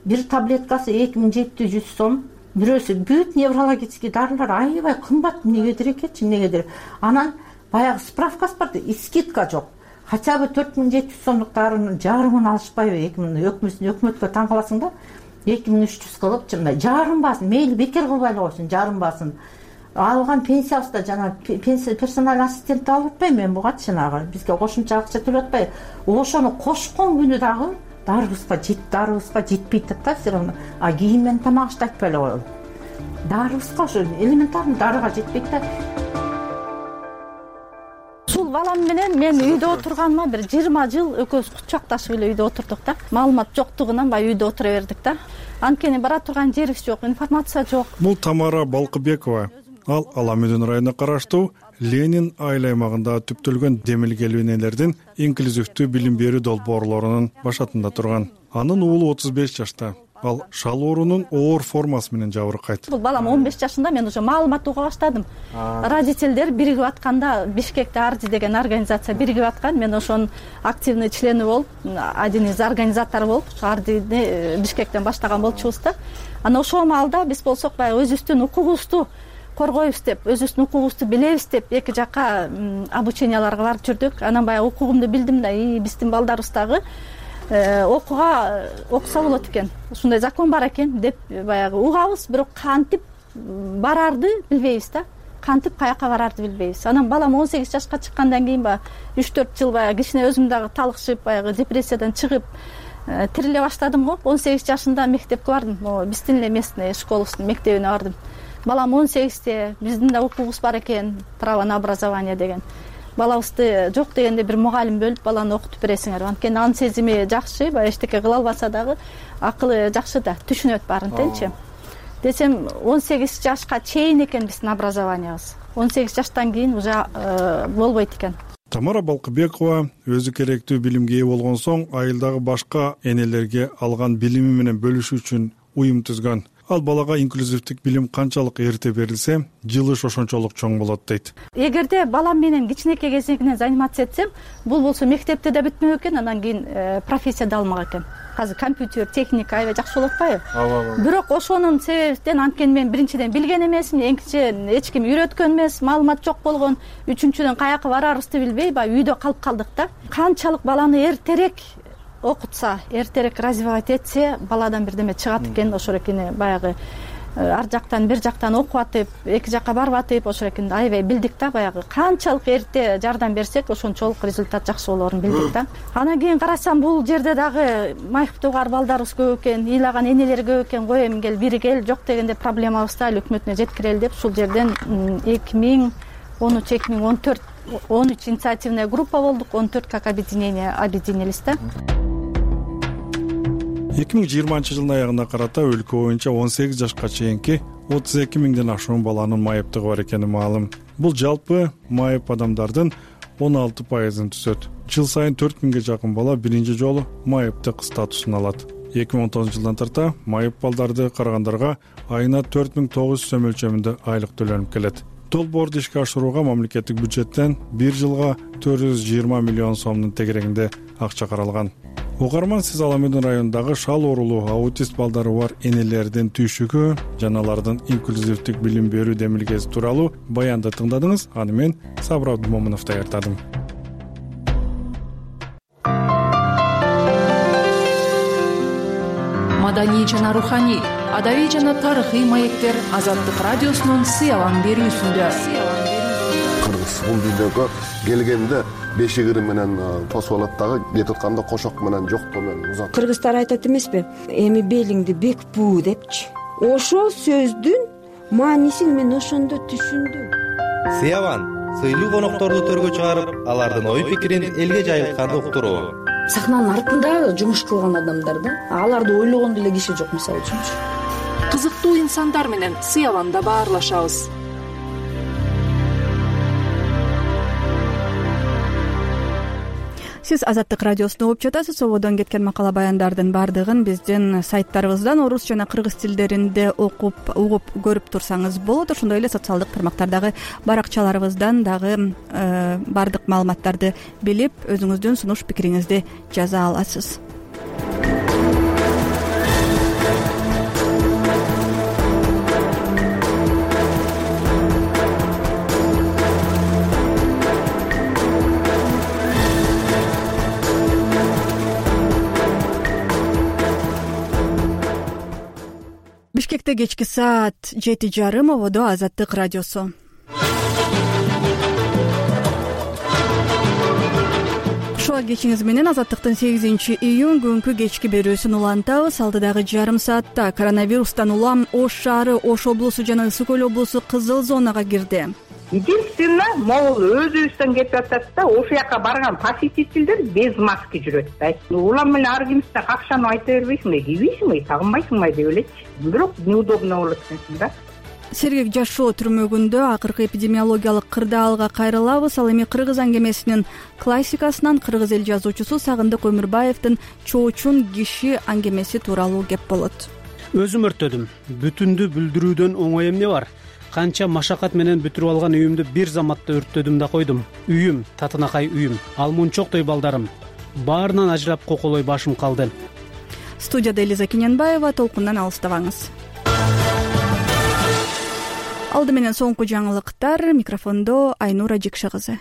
бир таблеткасы 2700 сом, бирөөсү бүт неврологический дарылар аябай кымбат. Эмнегедир экенчи, эмнегедир. Анан баягы справкасы бар да, скидка жок. Хотя бы 4700 сомдук дарынын жарымын алышпайбы? Өкмөткө таң каласың да, 2300 кылып, мындай жарым баасын, мейли бекер кылбай эле койсун, жарым баасын. Алган пенсиябыз да жана персональ ассистент алып атпайм мен бугачы, жанагы бизге кошумча акча төлөп атпайбы? Ошону кошкон күнү дагы дарыбызга жетпейт да, все равно. А кийим менен тамак айтпай эле коелу. Дарыбызга ошо элементарный дарыга жетпейт да. Ушул балам менен мен үйдө отурганыма бир 20 жыл экөөбүз кучакташып эле үйдө отурдук да. Маалымат жоктугунан баягы үйдө отура бердик да. Анткени бара турган жерибиз жок, информация жок. Бул Тамара Балкыбекова. Ал Аламүдүн районуна караштуу Ленин айыл аймагында түптөлгөн демилгелүү энелердин инклюзивдүү билим берүү долбоорлорунун башатында турган. Анын уулу 35 жашта. Ал шал оорунун оор формасы менен жабыркайт. Бул балам 15 жашында, мен уже маалымат уга баштадым. Родителдер биригип атканда Бишкекте Арди деген организация биригип аткан. Мен ошонун активный члени болуп, один из организатору болуп, Ардини Бишкектен баштаган болчубуз да. Анан ошол маалда биз болсок баягы өзүбүздүн укугубузду коргойбуз деп, өзүбүздүн укугубузду билебиз деп, эки жакка обученияларга барып жүрдүк. Анан баягы укугумду билдим да, биздин балдарыбыз дагы окуса болот экен, ушундай закон бар экен деп баягы угабыз, бирок кантип барарды билбейбиз да. Кантип каяка барарды билбейбиз. Анан балам 18 жашка чыккандан кийин баягы 3-4 жыл баягы кичине өзүм дагы талыкшып, баягы депрессиядан чыгып тириле баштадым го. 18 жашында мектепке бардым. Биздин эле местный школубуздун мектебине бардым. Балам 18-те, биздин да укугубуз бар экен, право на образование деген. Балабызды жок дегенде бир мугалим бөлүп баланы окутуп бересиңер. Анткени анын сезими жакшы, баягы эчтеке кыла албаса дагы акылы жакшы да, түшүнөт баарын тенчи. Десем 18 жашка чейин экен биздин образованиябыз. 18 жаштан кийин уже болбойт экен. Тамара Балкыбекова өзү керектүү билимге ээ болгон соң айылдагы башка энелерге алган билими менен бөлүшүү үчүн уюм түзгөн. Ал балага инклюзивдик билим канчалык эрте берилсе, жылыш ошончолук чоң болот дейт. Эгерде балам менен кичинекей кезинен заниматься этсем, бул болсо мектепте да бүтмөк экен, анан кийин профессия да алмак экен. Азыр компьютер, техника аябай жакшы болуп атпайбы? Бирок ошонун себебинен, анткени мен биринчиден билген эмесмин, экинчиден эч ким үйрөткөн эмес, маалымат жок болгон, үчүнчүдөн каяка барарыбызды билбей, баягы үйдө калып калдык да. Канчалык баланы эртерээк окутса, эртерээк развивать этсе, баладан бирдеме чыгат экен, ошол экени баягы ар жактан бир жактан окуп атып, эки жакка барып атып, ошол экени аябай билдик да, баягы канчалык эрте жардам берсек, ошончолук результат жакшы болоорун билдик да. Анан кийин карасам, бул жерде дагы майыптуугар балдарыбыз көп экен, ыйлаган энелер көп экен, кой эми кел бири кел, жок дегенде проблемабызды ал өкмөтүнө жеткирели деп, ушул жерден 2013-2014 13 инициативная группа болдук, 14 как объединились да. 2020 жылдын аягына карата өлкө боюнча 18 жашка чейинки 32 миңден ашуун баланын майыптыгы бар экени маалым. Бул жалпы майып адамдардын 16%-ын түзөт. Жыл сайын 4000 жакын бала биринчи жолу майыптык статусун алат. 2019 жылдан тарта майып балдарды карагандарга айына 4900 сом өлчөмүндө айлык төлөнүп келет. Долбоорду ишке ашырууга мамлекеттик бюджеттен бир жылга 420 миллион сомдун тегерегинде акча каралган. Угарман, сиз Аламүдүн районундагы шал оорулуу аутист балдары бар энелердин түйшүгү жана алардын инклюзивдик билим берүү демилгеси тууралуу баянды тыңдадыңыз. Аны мен Сабыр Абдумомунов даярдадым. Маданий жана руханий, адабий жана тарыхый маектер Азаттык радиосунун сыялан берүүсүндө. Кыргыз бул дүйнөгө келгенде бешигири менен тосуп алат дагы, кетип атканда кошок менен жоктоо менен узат. Кыргыздар айтат эмеспи? Эми белиңди бек буу депчи. Ошол сөздүн маанисин мен ошондо түшүндүм. Сыяван сыйлуу конокторду төргө чыгарып, алардын ой пикирин элге жайылтканды уктуруу. сахнанын артында жумуш кылган адамдар да, аларды ойлогон деле киши жок, мисалы үчүнчү. Кызыктуу инсандар менен сыябанда баарлашабыз. Сиз Азаттык радиосуна угуп жатасыз. Сободон кеткен макала баяндардын баардыгын биздин сайттарыбыздан орус жана кыргыз тилдеринде угуп көрүп турсаңыз болот. Ошондой эле социалдык тармактардагы баракчаларыбыздан дагы баардык маалыматтарды билип, өзүңүздүн сунуш пикириңизди жаза аласыз. Бишкекте кечки саат 7:30, ободо Азаттык радиосу. Шуа кечиңиз менен Азаттыктын 8-июнь күнгү кечки берүүсүн улантабыз. Алдыдагы жарым саатта коронавирустан улам Ош шаары, Ош облусу жана Ысык Көл облусу кызыл зонага кирди. Единственно, могул өзүбүздөн кетип атат да, ошол жака барган посетительдер без маски жүрөт да. Улам эле ар кимсине какшанып айта бербейсиңби, кийбейсиңби, тагынбайсыңбы деп элечи. Бирок неудобно болот экенсиң да. Сергек Жашоо түрмөгүндө акыркы эпидемиологиялык кырдаалга кайрылабыз. Ал эми кыргыз аңгемесинин классикасынан кыргыз эл жазуучусу Сагындык Өмүрбаевдин Чоочун киши аңгемеси тууралуу кеп болот. Өзүм өрттөдүм. Бүтүндү бүлдүрүүдөн оңой эмне бар? Канча машакат менен бүтүрүп алган үйүмдү бир заматта өрттөдүм да койдум. Үйүм, татынакай үйүм, ал мунчоктой балдарым. Баарынан ажырап коколой башым калды. Студияда Элиза Кененбаева, толкундан алыстабаңыз. Алды менен соңку жаңылыктар, микрофондо Айнура Жикша кызы.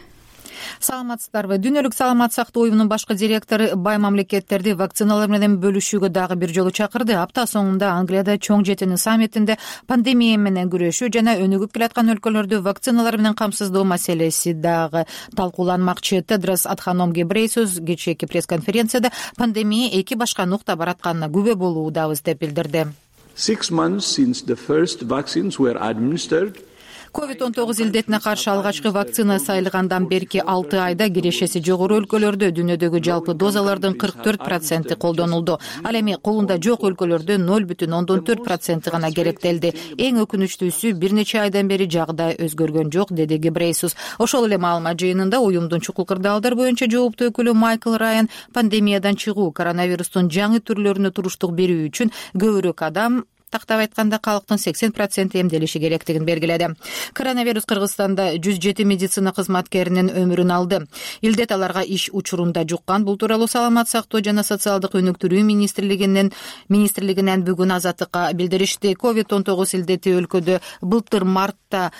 Саламатсыздарбы? Дүйнөлүк саламат сактоо уюмунун башкы директору бай мамлекеттерди вакциналар менен бөлүшүүгө дагы бир жолу чакырды. Апта соңунда Англияда чоң жетинин саммитинде пандемия менен күрөшүү жана өнүгүп келаткан өлкөлөрдү вакциналар менен камсыздоо маселеси дагы талкууланмакчы. Тедрос Адханом Гебрейсус кечээки пресс-конференцияда пандемия эки башка нукта баратканына күбө болуудабыз деп билдирди. 6 months since the first vaccines were administered, COVID-19 илдетине каршы алгачкы вакцина сайылгандан берки 6 айда кирешеси жогору өлкөлөрдө дүйнөдөгү жалпы дозалардын 44% колдонулду. Ал эми колунда жок өлкөлөрдө 0,14% гана керектелди. Эң өкүнүчтүүсү бир нече айдан бери жагдай өзгөргөн жок, деди Гебрейсус. Ошол эле маалымат жыйынында уюмдун чукул кырдаалдар боюнча жооптуу өкүлү Майкл Райан пандемиядан чыгуу, коронавирустун жаңы түрлөрүнө туруштук берүү үчүн көбүрөөк адам, тактап айтканда калктын 80% эмделиши керектигин белгиледи. Коронавирус Кыргызстанда 107 медицина кызматкеринин өмүрүн алды. Илдет аларга иш учурунда жуккан. Бул тууралуу Саламат сактоо жана социалдык өнүктүрүү министрлигинен бүгүн Азаттыкка билдиришти. COVID-19 илдети өлкөдө былтыр мартта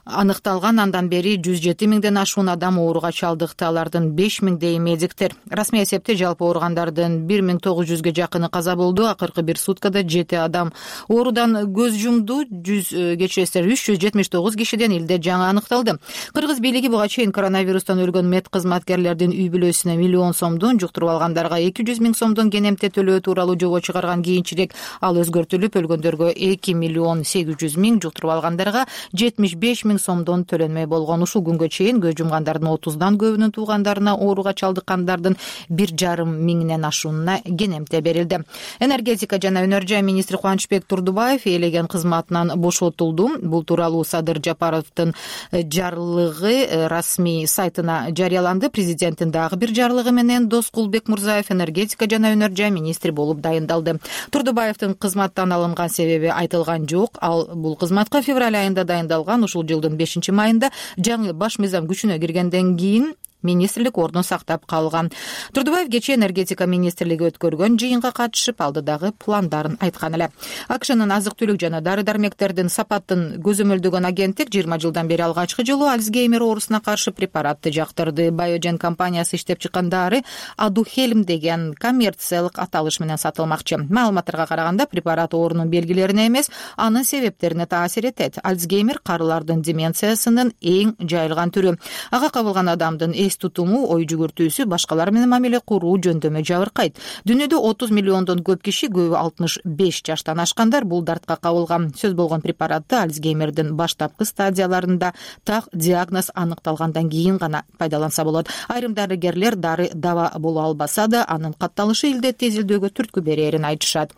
аныкталган, андан бери 107 миңден ашуун адам ооруга чалдыкты. Алардын 5 миңдей медиктер. Расмий эсепте жалпы ооругандардын 1900ге жакыны каза болду. Акыркы бир суткада 7 адам оорудан көз жумду. 379 кишиден илдет жаңы аныкталды. Кыргыз бийлиги буга чейин коронавирустан өлгөн мед кызматкерлердин үй бүлөсүнө 1 миллион сомдон, жуктуруп алгандарга 200 миң сомдон кенемте төлөө тууралуу жобо чыгарган. Кийинчерээк ал өзгөртүлүп, өлгөндөргө 2 миллион 800 миң, жуктуруп алгандарга 75 миң сомдон төлөнмөй болгон. Ушул күнгө чейин көз жумгандардын 30дан көбүнүн туугандарына ооруга чалдыккандардын 1,5 миңден ашуунуна кенемте берилди. Энергетика жана өнөр жай министри Кубанычбек Турдубаев ээлеген кызматынан бошотулду. Бул тууралуу Садыр Жапаровдун жарлыгы расмий сайтына жарыяланды. Президенттин дагы бир жарлыгы менен Доскул Бекмурзаев энергетика жана өнөр жай министри болуп дайындалды. Турдубаевдин кызматтан алынган себеби айтылган жок. Ал бул кызматка февраль айында дайындалган. Ушул жылдын 5 майында жаңы баш мыйзам күчүнө киргенден кийин министрлик ордун сактап калган. Турдубаев кечээ энергетика министрлиги өткөргөн жыйынга катышып, алдыдагы пландарын айткан эле. АКШнын азык-түлүк жана дары-дармектердин сапатын көзөмөлдөгөн агенттик 20 жылдан бери алгачкы жолу Альцгеймер оорусуна каршы препаратты жактырды. Biogen компаниясы иштеп чыккан дары Адухельм деген коммерциялык аталыш менен сатылмакчы. Маалыматтарга караганда, препарат оорунун белгилерине эмес, анын себептерине таасир этет. Альцгеймер карылардын деменциясынын эң жайылган түрү. Ага кабылган адамдын эс тутуму, ой жүгүртүүсү, башкалар менен мамиле куруу жөндөмө жабыркайт. Дүйнөдө 30 миллиондон көп киши, көбү 65 жаштан ашкандар бул дартка кабылган. Сөз болгон препаратты Альцгеймердин баштапкы стадияларында так диагноз аныкталгандан кийин гана пайдаланса болот. Айрым дарыгерлер дары даба боло албаса да анын катталышы илдетти изилдөөгө түрткү берээрин айтышат.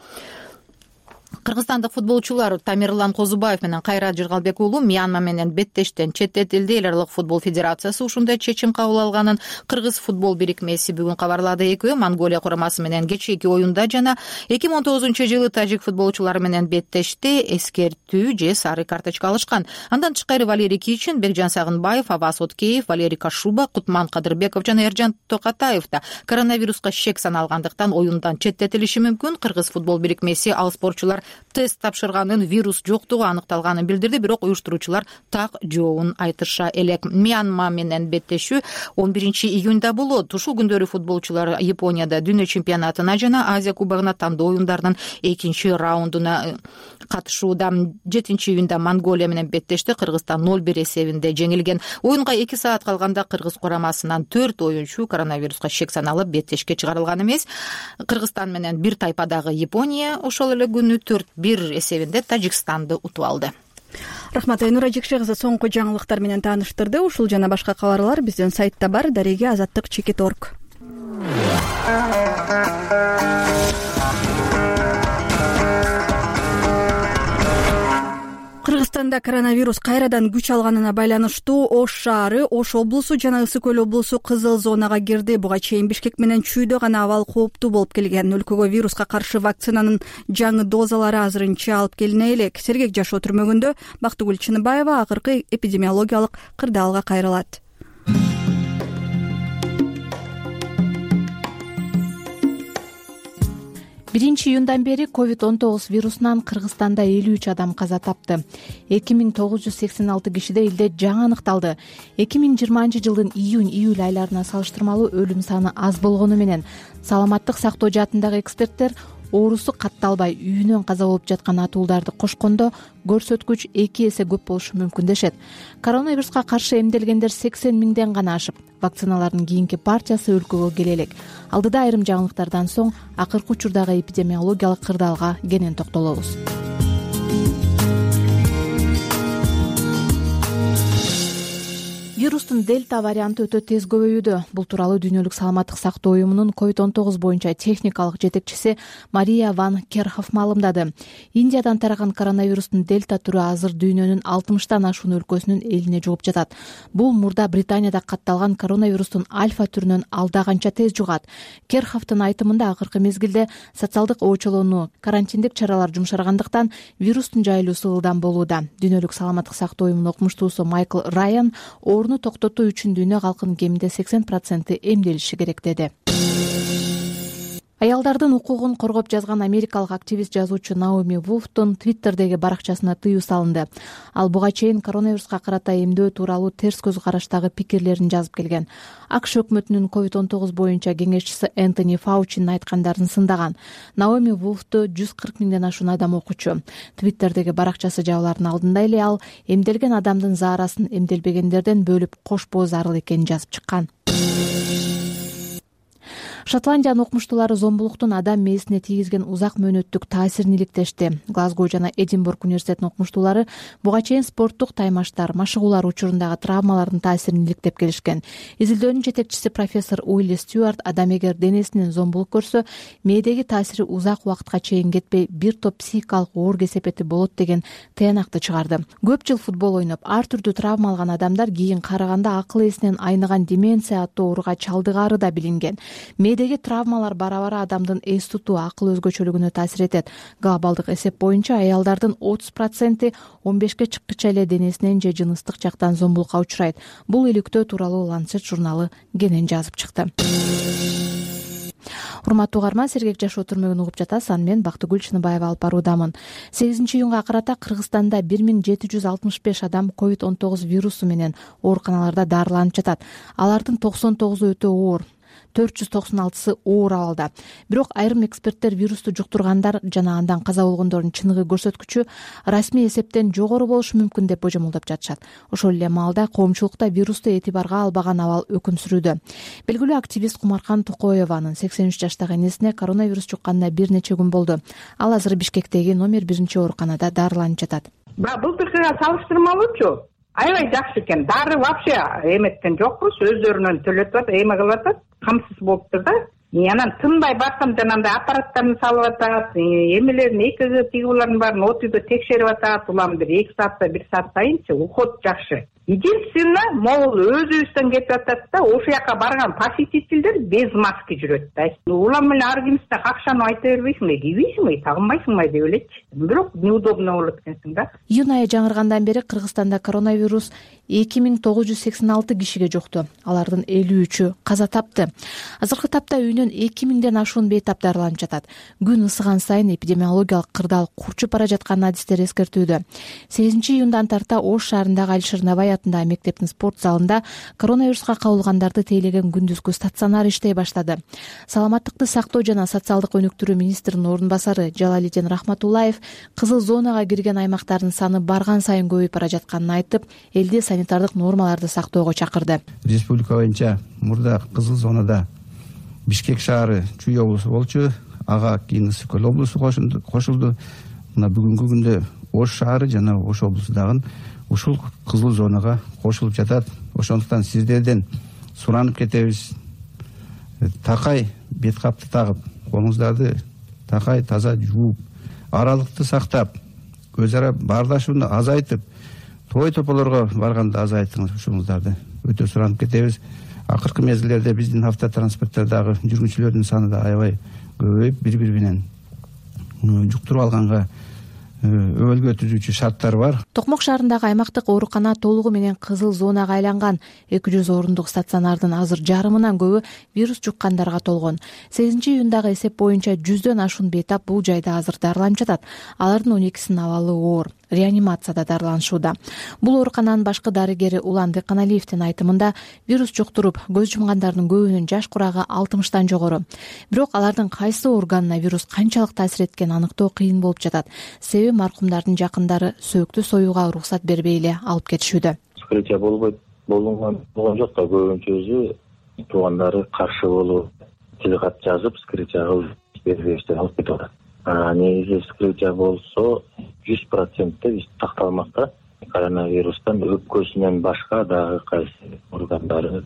Кыргызстандык футболчулар Тамирлан Козубаев менен Кайрат Жыргалбек уулу Мьянма менен беттештен четтетилди. Эл аралык футбол федерациясы ушундай чечим кабыл алганын Кыргыз футбол бирикмеси бүгүн кабарлады. Экөө Монголия курамасы менен кечээки оюнда жана 2019-жылы тажик футболчулары менен беттешти, эскертүү же сары карточка алышкан. Андан тышкары Валерий Кичин, Бекжан Сагынбаев, Аваз Откеев, Валерий Кашуба, Кутман Кадырбеков жана Эржан Токатаев да коронавируска шек саналгандыктан оюндан четтетилиши мүмкүн. Кыргыз футбол бирикмеси ал спортчулар тест тапшырганын, вирус жоктугу аныкталганын билдирди, бирок уюштуруучулар так жообун айтыша элек. Мьянма менен беттешүү 11-июнда болот. Ушул күндөрү футболчулар Японияда дүйнө чемпионатына жана Азия кубогуна тандоо оюндарынын 2-раундуна катышууда. 7-июнда Монголия менен беттешти. Кыргызстан 0-1 эсебинде жеңилген. Оюнга 2 саат калганда Кыргыз курамасынан 4 оюнчу коронавируска шек саналып беттешке чыгарылган эмес. Кыргызстан менен бир тайпадагы Япония ошол эле күнү 4-1 эсебинде Тажикстанды утуп алды. Рахмат, Айнура Жекше кызы соңку жаңылыктар менен тааныштырды. Ушул жана башка кабарлар биздин сайтта бар. Дареге азаттык.org. Кыргызстанда коронавирус кайрадан күч алганына байланыштуу Ош шаары, Ош облусу жана Ысык көл облусу кызыл зонага кирди. Буга чейин Бишкек менен Чүйдө гана абал кооптуу болуп келген. Өлкөгө вируска каршы вакцинанын жаңы дозалары азырынча алып келине элек. Сергек жашоо түрмөгүндө Бактыгүл Чыныбаева акыркы эпидемиологиялык кырдаалга кайрылат. 1-июндан бери COVID-19 вирусунан Кыргызстанда 53 адам каза тапты. 2986 кишиде элде жаңы аныкталды. 2020-жылдын июнь-июль айларына салыштырмалуу өлүм саны аз болгону менен саламаттык сактоо жаатындагы эксперттер оорусу катталбай үйүнөн каза болуп жаткан атууларды кошкондо көрсөткүч 2 эсе көп болушу мүмкүн дешет. Коронавируска каршы эмделгендер 80 миңден гана ашып, вакциналардын кийинки партиясы өлкөгө келе элек. Алдыда айрым жаңылыктардан соң акыркы учурдагы эпидемиологиялык кырдаалга кенен токтолобуз. Вирустун дельта варианты өтө тез көбөйүүдө. Бул тууралуу Дүйнөлүк саламаттык сактоо уюмунун COVID-19 боюнча техникалык жетекчиси Мария Ван Керхов маалымдады. Индиядан тараган коронавирустун дельта түрү азыр дүйнөнүн 60тан ашуун өлкөсүнүн элине жугуп жатат. Бул мурда Британияда катталган коронавирустун альфа түрүнөн алда канча тез жугат. Керховдун айтымында акыркы мезгилде социалдык оочолоону, карантиндик чаралар жумшаргандыктан вирустун жайылуусу ылдам болууда. Дүйнөлүк саламаттык сактоо уюмунун окумуштуусу Майкл Райан ооруну токтотуу үчүн дүйнө калкынын кеминде 80% эмделиши керек деди. Аялдардын укугун коргоп жазган америкалык активист жазуучу Наоми Вулфтун Твиттердеги баракчасына тыюу салынды. Ал буга чейин коронавируска карата эмдөө тууралуу терс көз караштагы пикирлерин жазып келген. АКШ өкмөтүнүн COVID-19 боюнча кеңешчиси Энтони Фаучинин айткандарын сындаган. Наоми Вулфту 140 миңден ашуун адам окучу. Твиттердеги баракчасы жабылардын алдында эле ал эмделген адамдын заарасын эмделбегендерден бөлүп кошпоо зарыл экенин жазып чыккан. Шотландиянын окумуштуулары зомбулуктун адам мээсине тийгизген узак мөөнөттүк таасирин иликтешти. Глазго жана Эдинбург университетинин окумуштуулары буга чейин спорттук таймаштар, машыгуулар учурундагы травмалардын таасирин иликтеп келишкен. Изилдөөнүн жетекчиси профессор Уилли Стюарт адам эгер денесинен зомбулук көрсө, мээдеги таасири узак убакытка чейин кетпей бир топ психикалык оор кесепети болот деген тыянакты чыгарды. Көп жыл футбол ойноп, ар түрдүү травма алган адамдар кийин караганда акыл эсинен айныган деменция аттуу ооруга чалдыгаары да билинген. Мээдеги травмалар бара-бара адамдын эс тутуу, акыл өзгөчөлүгүнө таасир этет. Глобалдык эсеп боюнча аялдардын 30% 15ке чыккыча эле денесинен же жыныстык жактан зомбулукка учурайт. Бул иликтөө тууралуу Lancet журналы кенен жазып чыкты. Урматтуу угарман, сергек жашоо түрмөгүн угуп жатасыз. Аны мен Бактыгүл Чыныбаева алып баруудамын. 8-июнга карата Кыргызстанда 1765 адам COVID-19 вирусу менен ооруканаларда дарыланып жатат. Алардын 99 өтө оор. 496 оор абалда. Бирок айрым эксперттер вирусту жуктургандар жана андан каза болгондордун чыныгы көрсөткүчү расмий эсептен жогору болушу мүмкүн деп божомолдоп жатышат. Ошол эле маалда коомчулукта вирусту этибарга албаган абал өкүм сүрүүдө. Белгилүү активист Кумаркан Токоеванын 83 жаштагы энесине коронавирус жукканына бир нече күн болду. Ал азыр Бишкектеги номер 1 ооруканада дарыланып жатат. Былтыркыга салыштырмалуучу аябай жакшы экен. Дары вообще эметкен жокпуз, өздөрүнөн төлөтүп атат, эме кылып атат, камсыз болуптур да. Анан тынбай барсам жанагындай аппараттарын салып атат, эмелерин ЭКГ тигулардын баарын отуйда текшерип атат. Улам бир 2 саатта 1 саат сайынчы уход жакшы. Единственное, могул өзүбүздөн кетип атат да, ошол жака барган посетительдер без маски жүрөт да. Улам эле ар кимисине какшанып айта бербейсиңби, кийбейсиңби, тагынбайсыңбы деп элечи. Бирок неудобно болот экенсиң да. Июнь айы жаңыргандан бери Кыргызстанда коронавирус 2986 кишиге жукту. Алардын 53-ü каза тапты. Азыркы тапта үйүнөн 2000ден ашуун бейтап дарыланып жатат. Күн ысыган сайын эпидемиологиялык кырдаал курчуп бара жаткан адистер эскертүүдө. 8-июндан тарта Ош шаарындагы Алишер Набай атындагы мектептин спорт залында коронавируска кабылгандарды тейлеген күндүзгү стационар иштей баштады. Саламаттыкты сактоо жана социалдык өнүктүрүү министринин ордун басары Жалалидин Рахматуллаев кызыл зонага кирген аймактардын саны барган сайын көбөйүп бара жатканын айтып, элди санитардык нормаларды сактоого чакырды. Республика боюнча мурда кызыл зонада Бишкек шаары Чүй облусу болчу, ага кийин Ысык Көл облусу кошулду. Мына бүгүнкү күндө Ош шаары жана Ош облусу дагы ушул кызыл зонага кошулуп жатат. Ошондуктан сиздерден суранып кетебиз. Такай бет капты тагып, колуңуздарды такай таза жууп, аралыкты сактап, өз ара баардашууну азайтып, той тополорго барганда азайтыңыз ушуңуздарды. Өтө суранып кетебиз. Акыркы мезгилдерде биздин автотранспорттордогу жүргүнчүлөрдүн саны да аябай көбөйүп, бири-бири менен жуктуруп алганга өбөлгө түзүүчү шарттар бар. Токмок шаарындагы аймактык оорукана толугу менен кызыл зонага айланган. 200 орундук стационардын азыр жарымынан көбү вирус жуккандарга толгон. 8-июндагы эсеп боюнча 100дөн ашуун бейтап бул жайда азыр дарыланып жатат. Алардын 12синин абалы оор. Реанимацияда дарыланышууда. Бул оорукананын башкы дарыгери Улан Деканалиевдин айтымында вирус жуктуруп, көз жумгандардын көбүнүн жаш курагы 60тан жогору. Бирок алардын кайсы органына вирус канчалык таасир эткенин аныктоо кыйын болуп жатат. Себеби маркумдардын жакындары сөөктү союуга уруксат бербей эле алып кетишүүдө. Вскрытие болбойт, болгон жок да, көбүнчөсү туугандары каршы болуп, телегат жазып, вскрытие кылып бербештен алып кетип атат. Негизи вскрытие болсо 100% такталмакта. Коронавирустан өпкөсүнөн башка дагы кайсы органдары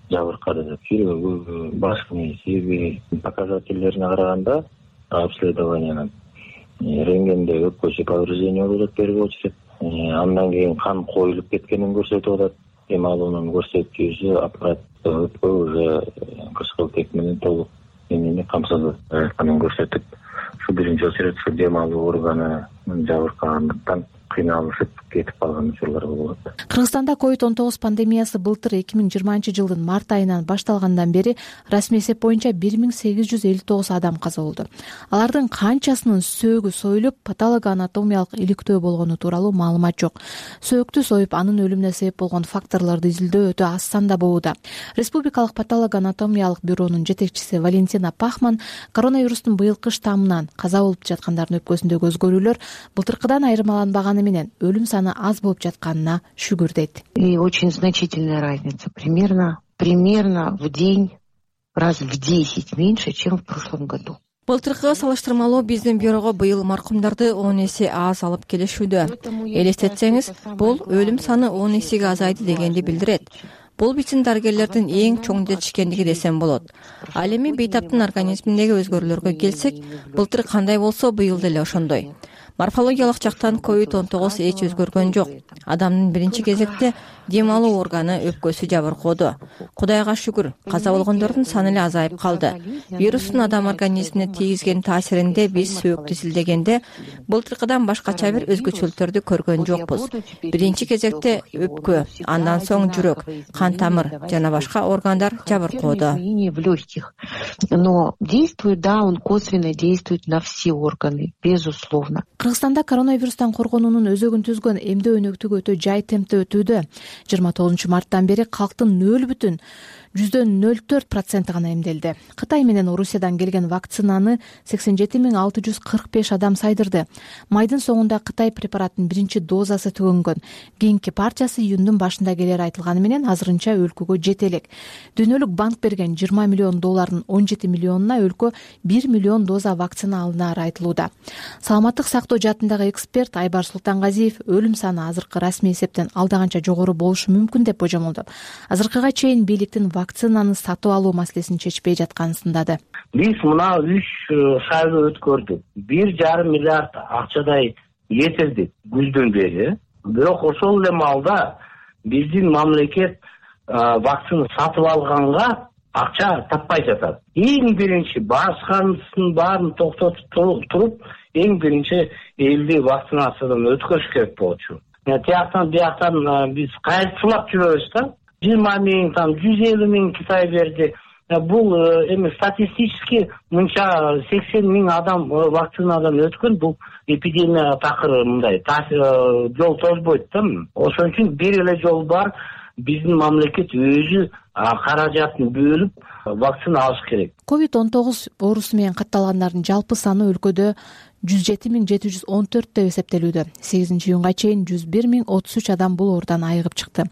жабыркады деп, жүрөгү, баш мээси показательдерине караганда обследованиянын рентгенде өпкөсү повреждение болуп атат, первый очередь. Андан кийин кан коюлуп кеткенин көрсөтүп атат. Эми алуунун көрсөткүчү аппарат өпкө уже кычкылтек менен толук эмени камсыз айтканын көрсөтүп, ушу биринчи очередь ушу дем алуу органы жабыркагандыктан кыйналышып кетип калган учурлар болуп атат. Кыргызстанда COVID-19 пандемиясы былтыр 2020-жылдын март айынан башталгандан бери расмий эсеп боюнча 1859 адам каза болду. Алардын канчасынын сөөгү союлуп, патологоанатомиялык иликтөө болгону тууралуу маалымат жок. Сөөктү союп, анын өлүмүнө себеп болгон факторлорду изилдөө өтө аз санда болууда. Республикалык патологоанатомиялык бюронун жетекчиси Валентина Пахман коронавирустун быйылкы штаммынан каза болуп жаткандардын өпкөсүндөгү өзгөрүүлөр былтыркыдан айырмаланбаганы менен өлүм саны аз болуп жатканына шүгүр дейт. И очень значительная разница. Примерно в день, раз в 10 меньше, чем в прошлом году. Былтыркыга салыштырмалуу биздин бюрого быйыл маркумдарды 10 эсе аз алып келишүүдө. Элестетсеңиз, бул өлүм саны 10 эсеге азайды дегенди билдирет. Бул биздин дарыгерлердин эң чоң жетишкендиги десем болот. Ал эми бейтаптын организминдеги өзгөрүүлөргө келсек, былтыр кандай болсо быйыл деле ошондой. Морфологиялык жактан COVID-19 эч өзгөргөн жок. Адамдын биринчи кезекте дем алуу органы өпкөсү жабыркоодо. Кудайга шүгүр, каза болгондордун саны эле азайып калды. Вирустун адам организмине тийгизген таасиринде биз сөөктү изилдегенде былтыркыдан башкача бир өзгөчөлүктөрдү көргөн жокпуз. Биринчи кезекте өпкө, андан соң жүрөк, кан тамыр жана башка органдар жабыркоодо. Но действует, да, он косвенно действует на все органы, безусловно. Кыргызстанда коронавирустан коргонуунун өзөгүн түзгөн эмдөө өнөктүгү өтө жай темпте өтүүдө. 29 марттан бери калктын %0,4% гана эмделди. Кытай менен Орусиядан келген вакцинаны 87,645 адам сайдырды. Майдын соңунда Кытай препараттын биринчи дозасы төгөнгөн. Кийинки партиясы июндун башында келери айтылганы менен азырынча өлкөгө жете элек. Дүйнөлүк банк берген $20 миллион 17 миллионуна өлкө 1 миллион доза вакцина алынары айтылууда. Саламаттык сактоо жаатындагы эксперт Айбар Султангазиев өлүм саны азыркы расмий эсептен алдаганча жогору болушу мүмкүн деп божомолдоп, азыркыга чейин бийликтин вакцинаны сатып алуу маселесин чечпей жатканын сындады. Биз мына 3 шайлоо өткөрдүк. 1,5 миллиард акчадай кетирдик күздөн бери. Бирок ошол эле маалда биздин мамлекет вакцина сатып алганга акча таппай жатат. Эң биринчи башканын баарын токтотуп туруп, эң биринчи элди вакцинациядан өткөрүш керек болчу. Тияктан бияктан биз кайрылап жүрөбүз да. 20 миң, 150 миң Китай берди. Бул эми статистически мынча 80 миң адам вакцинадан өткөн, бул эпидемия такыр мындай жол тозбойт да. Ошон үчүн бир эле жол бар. Биздин мамлекет өзү каражатын бөлүп вакцина алыш керек. COVID-19 оорусу менен катталгандардын жалпы саны өлкөдө 107,714 деп эсептелүүдө. 8-июнга чейин 101,033 адам бул оорудан айыгып чыкты.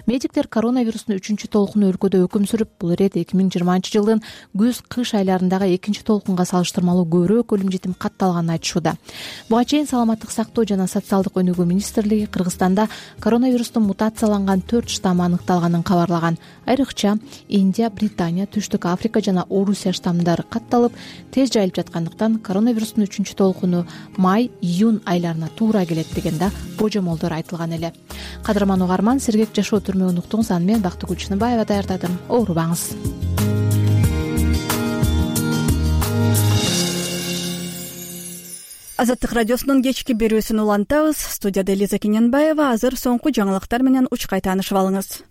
Медиктер коронавирустун 3-толкуну өлкөдө өкүм сүрүп, бул ирет 2020-жылдын күз-кыш айларындагы 2-толкунга салыштырмалуу көбүрөөк өлүм жетим катталганын айтышууда. Буга чейин Саламаттык сактоо жана социалдык өнүгүү министрлиги Кыргызстанда коронавирустун мутацияланган 4 штаммы аныкталганын кабарлаган. Айрыкча Индия, Британия, Түштүк Африка жана Орусия штаммдары катталып, тез жайылып жаткандыктан коронавирустун 3-толкуну май-июнь айларына туура келет деген да божомолдор айтылган эле. Кадырман угарман, сергек жашоо түрмөгүн уктуңуз. Аны мен Бактыгүл Чыныбаева даярдадым. Оорубаңыз. Азаттык радиосунун кечки берүүсүн улантабыз. Студияда Элиза Кененбаева. Азыр соңку жаңылыктар менен учкай таанышып алыңыз.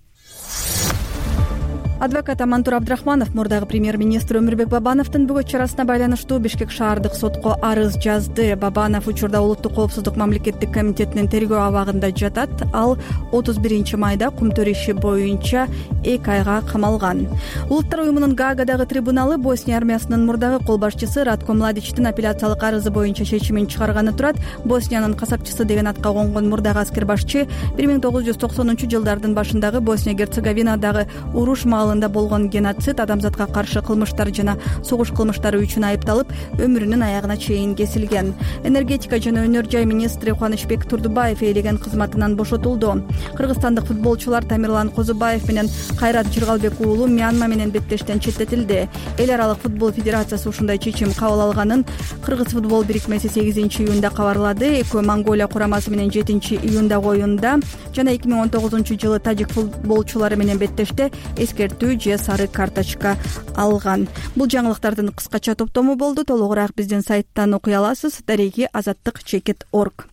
Адвокат Амантур Абдрахманов мурдагы премьер-министр Өмүрбек Бабановдун бөгөт чарасына байланыштуу Бишкек шаардык сотко арыз жазды. Бабанов учурда Улуттук коопсуздук мамлекеттик комитетинин тергөө абагында жатат. Ал 31 майда кумтөр иши боюнча 2 айга камалган. Улуттар уюмунун Гаагадагы трибуналы Босния армиясынын мурдагы кол башчысы Ратко Младичтин апелляциялык арызы боюнча чечимин чыгарганы турат. Босниянын касапчысы деген атка конгон мурдагы аскер башчы 1990-жылдардын башындагы Босния-Герцеговинадагы уруш маалында болгон геноцид, адамзатка каршы кылмыштар жана согуш кылмыштары үчүн айыпталып, өмүрүнүн аягына чейин кесилген. Энергетика жана өнөр жай министри Кубанычбек Турдубаев ээлеген кызматынан бошотулду. Кыргызстандык футболчулар Тамирлан Козубаев менен Кайрат Жыргалбек уулу Мьянма менен беттештен четтетилди. Эл аралык футбол федерациясы ушундай чечим кабыл алганын Кыргыз футбол бирикмеси 8-июнда кабарлады. Экөө Монголия курамасы менен 7-июндагы оюнда жана 2019-жылы тажик футболчулары менен беттеште эскертүү же сары карточка алган. Бул жаңылыктардын кыскача топтому болду. Толугураак биздин сайттан окуй аласыз. Дареги azаттык.org.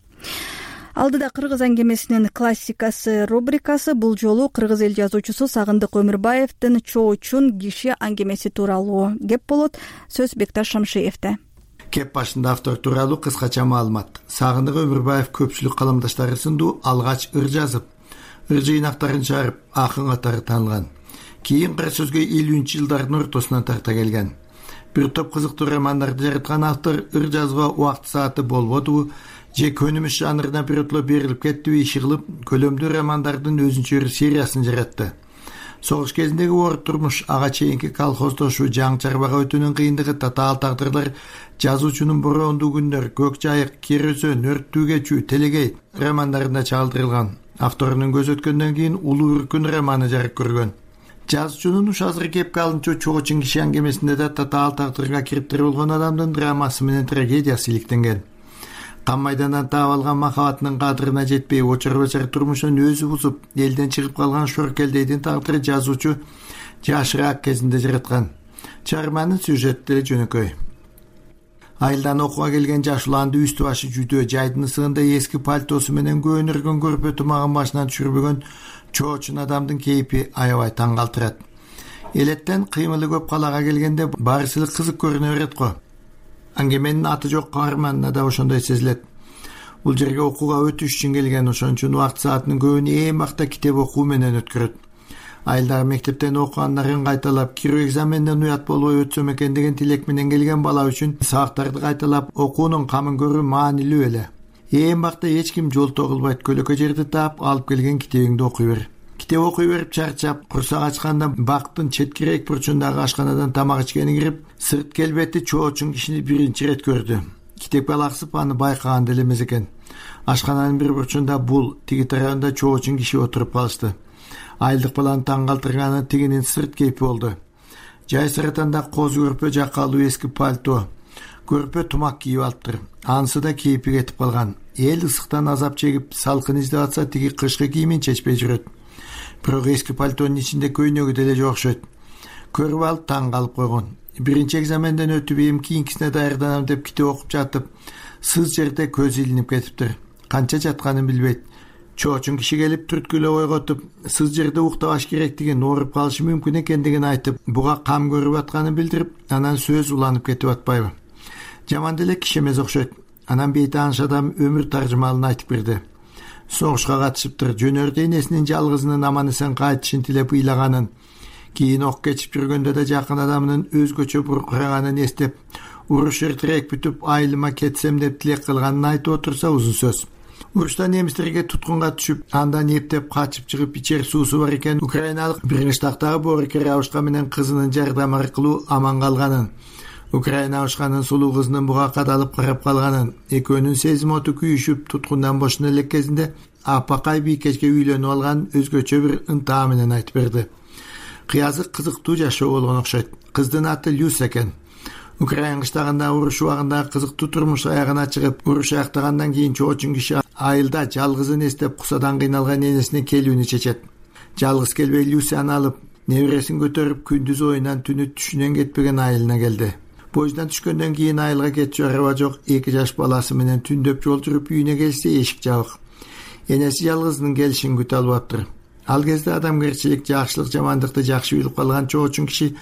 Алдыда кыргыз аңгемесинин классикасы рубрикасы. Бул жолу кыргыз эл жазуучусу Сагындык Өмүрбаевдин Чоочун киши аңгемеси тууралуу кеп болот. Сөз Бекташ Шамшиевде. Кеп башында автор тууралуу кыскача маалымат. Сагындык Өмүрбаев көпчүлүк калымдаштары сынду алгач ыр жазып, ыр жыйнактарын чыгарып, акын катары таанылган. Кийин кара сөзгө 50-жылдардын ортосунан тарта келген. Бир топ кызыктуу романдарды жараткан автор ыр жазууга убакыт сааты болбодубу же көнүмүш жанрына бирөтлө берилип кеттиби иши кылып, көлөмдүү романдардын өзүнчө сериясын жаратты. Согуш кезиндеги оор турмуш, ага чейинки колхоздошуу, жаң чарбага өтүүнүн кыйындыгы, татаал тагдырлар, жазуучунун бороондуу күндөр, көк жайык, кер өзөн, өрттүү кечүү, телегей романдарында чагылдырылган. Авторунун көз өткөндөн кийин Улуу Үркүн романы жарык көргөн. Жазуучунун уш азыр кепке алынчу Чоочун киши аңгемесинде да татаал тагдырга кириптир болгон адамдын драмасы менен трагедиясы иликтенген. Кан майдандан таап алган махабатынын кадырына жетпей, очор-бачар турмушун өзү бузуп, элден чыгып калган Шоркелдейдин тагдыры жазуучу жашыраак кезинде жараткан. Чыгарманын сюжети деле жөнөкөй. Айылдан окууга келген жаш уланды үстү башы жүдөө, жайдын ысыгында эски пальтосу менен көөнөргөн көрпө тумагын башынан түшүрбөгөн Чоочун адамдын кейпи аябай таң калтырат. Элеттен кыймылы көп калаага келгенде барысы эле кызык көрүнө берет го. Аңгеменин аты жок каарманына да ошондой сезилет. Бул жерге окууга өтүш үчүн келген, ошон үчүн убакыт саатынын көбүн эң бакта китеп окуу менен өткөрөт. Айылдагы мектептен окуганнарын кайталап, кирүү экзаменден уят болбой өтсөм экен деген тилек менен келген бала үчүн сабактарды кайталап окуунун камын көрүү маанилүү эле. Ээн бакта эч ким жол тогулбайт, көлөкө жерди таап алып келген китебиңди окуй бер. Китеп окуй берип чарчап, курсак ачканда бактын четкирээк бурчундагы ашканадан тамак ичкени кирип, сырт келбети чоочун кишини биринчи ирет көрдү. Китепке алаксып аны байкаган деле эмес экен. Ашкананын бир бурчунда бул, тиги тарабында чоочун киши отуруп калышты. Айылдык баланы таң калтырганы тигинин сырт кейпи болду. Жай саратанда коз көрпө жакалуу эски пальто, көрпө тумак кийип алыптыр. Анысы да кейпи кетип калган. Эл ысыктан азап чегип, салкын издеп атса, тиги кышкы кийимин чечпей жүрөт. Бирок эски пальтонун ичинде көйнөгү деле жок окшойт. Көрүп алып таң калып койгон. Биринчи экзаменден өтүп, эми кийинкисине даярданам деп китеп окуп жатып, сыз жерде көз илинип кетиптир. Канча жатканын билбейт. Чоочун киши келип түрткүлөп ойготуп, сыз жерде уктабаш керектигин, ооруп калышы мүмкүн экендигин айтып, буга кам көрүп атканын билдирип, анан сөз уланып кетип атпайбы? Жаман деле киши эмес окшойт. Анан бейтааныш адам өмүр таржымалын айтып берди. Согушка катышыптыр, жөнөрдө энесинин жалгызынын аман эсен кайтышын тилеп ыйлаганын, кийин ок кечип жүргөндө да жакын адамынын өзгөчө буркураганын эстеп, уруш эртерээк бүтүп, айылыма кетсем деп тилек кылганын айтып отурса узун сөз. Урушта немистерге туткунга түшүп, андан эптеп качып чыгып ичер суусу бар экен украиналык бир кыштактагы Борика Рябушка менен кызынын жардамы аркылуу аман калганын, Украина Рябушканын сулуу кызынын буга кадалып карап калганын, экөөнүн сезим оту күйүшүп туткундан бошоно элек кезинде апакай бийкечке үйлөнүп алган өзгөчө бир ынтаа менен айтып берди. Кыязык кызыктуу жашоо болгон окшойт. Кыздын аты Люс экен. Украина кыштагында уруш убагында кызыктуу турмуш аягына чыгып, уруш аяктагандан кийин чоочун киши айылда жалгызын эстеп кусадан кыйналган энесине келүүнү чечет. Жалгыз келбей Люси аны алып, небересин көтөрүп күндүз оюнан түнү түшүнөн кетпеген айылына келди. Поезддан түшкөндөн кийин айылга кетчү араба жок, 2 жаш баласы менен түндөп жол жүрүп үйүнө келсе эшик жабык. Энеси жалгызынын келишин күтө албаптыр. Ал кезде адамгерчилик, жакшылык, жамандыкты жакшы билип калган чоочун киши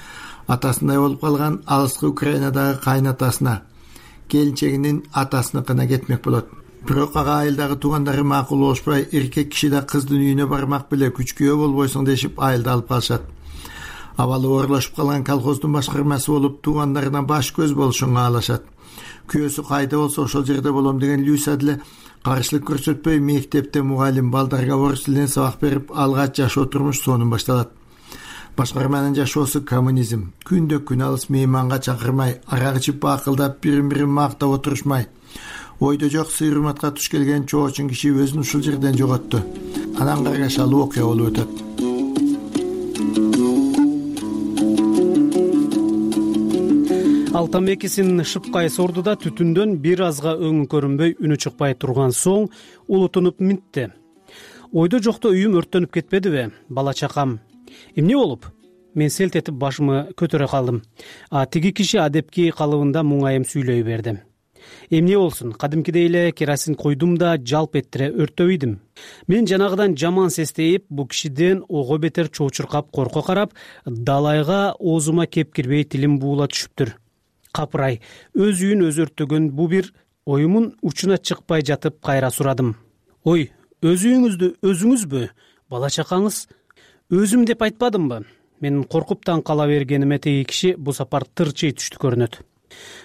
атасындай болуп калган алыскы Украинадагы кайнатасына, келинчегинин атасыныкына кетмек болот. Бирок ага айылдагы туугандары макул болушпай, эркек киши да кыздын үйүнө бармак беле күчкүө болбойсуң дешип айылда алып калышат. Абалы оорлошуп калган колхоздун башкармасы болуп, туугандарына баш көз болушун каалашат. Күйөөсү кайда болсо ошол жерде болом деген Люся деле каршылык көрсөтпөй, мектепте мугалим балдарга орус тилинен сабак берип, алгач жашоо турмуш сонун башталат. Башкарманын жашоосу коммунизм. Күндө күн алыс мейманга чакырмай, арак ичип бакылдап, бирин-бирин мактап отурушмай. Ойдо жок сый-урматка туш келген чоочун киши өзүн ушул жерден жоготту. Анан каргашалуу окуя болуп өтөт. Ал тамекисин шыпкай сорду да түтүндөн бир азга өңү көрүнбөй, үнү чыкпай турган соң улутунуп минтти. Ойдо жокто үйүм өрттөнүп кетпедиби? Бала чакам. Эмне болуп? Мен селт этип башымы көтөрө калдым. Тиги киши адепки калыбында муңайым сүйлөй берди. Эмне болсун, кадимкидей эле керосин койдум да жалп эттире өрттөбөйдүм. Мен жанагыдан жаман сестейип, бу кишиден ого бетер чоочуркап, корко карап, далайга оозума кеп кирбей тилим буула түшүптүр. Капырай, өз үйүн өзү өрттөгөн бу бир оюмун учуна чыкпай жатып кайра сурадым. Ой, өз үйүңүздү өзүңүзбү? Бала чакаңыз? Өзүм деп айтпадымбы? Мен коркуп таң кала бергениме теги киши бу сапар тырчый түштү көрүнөт.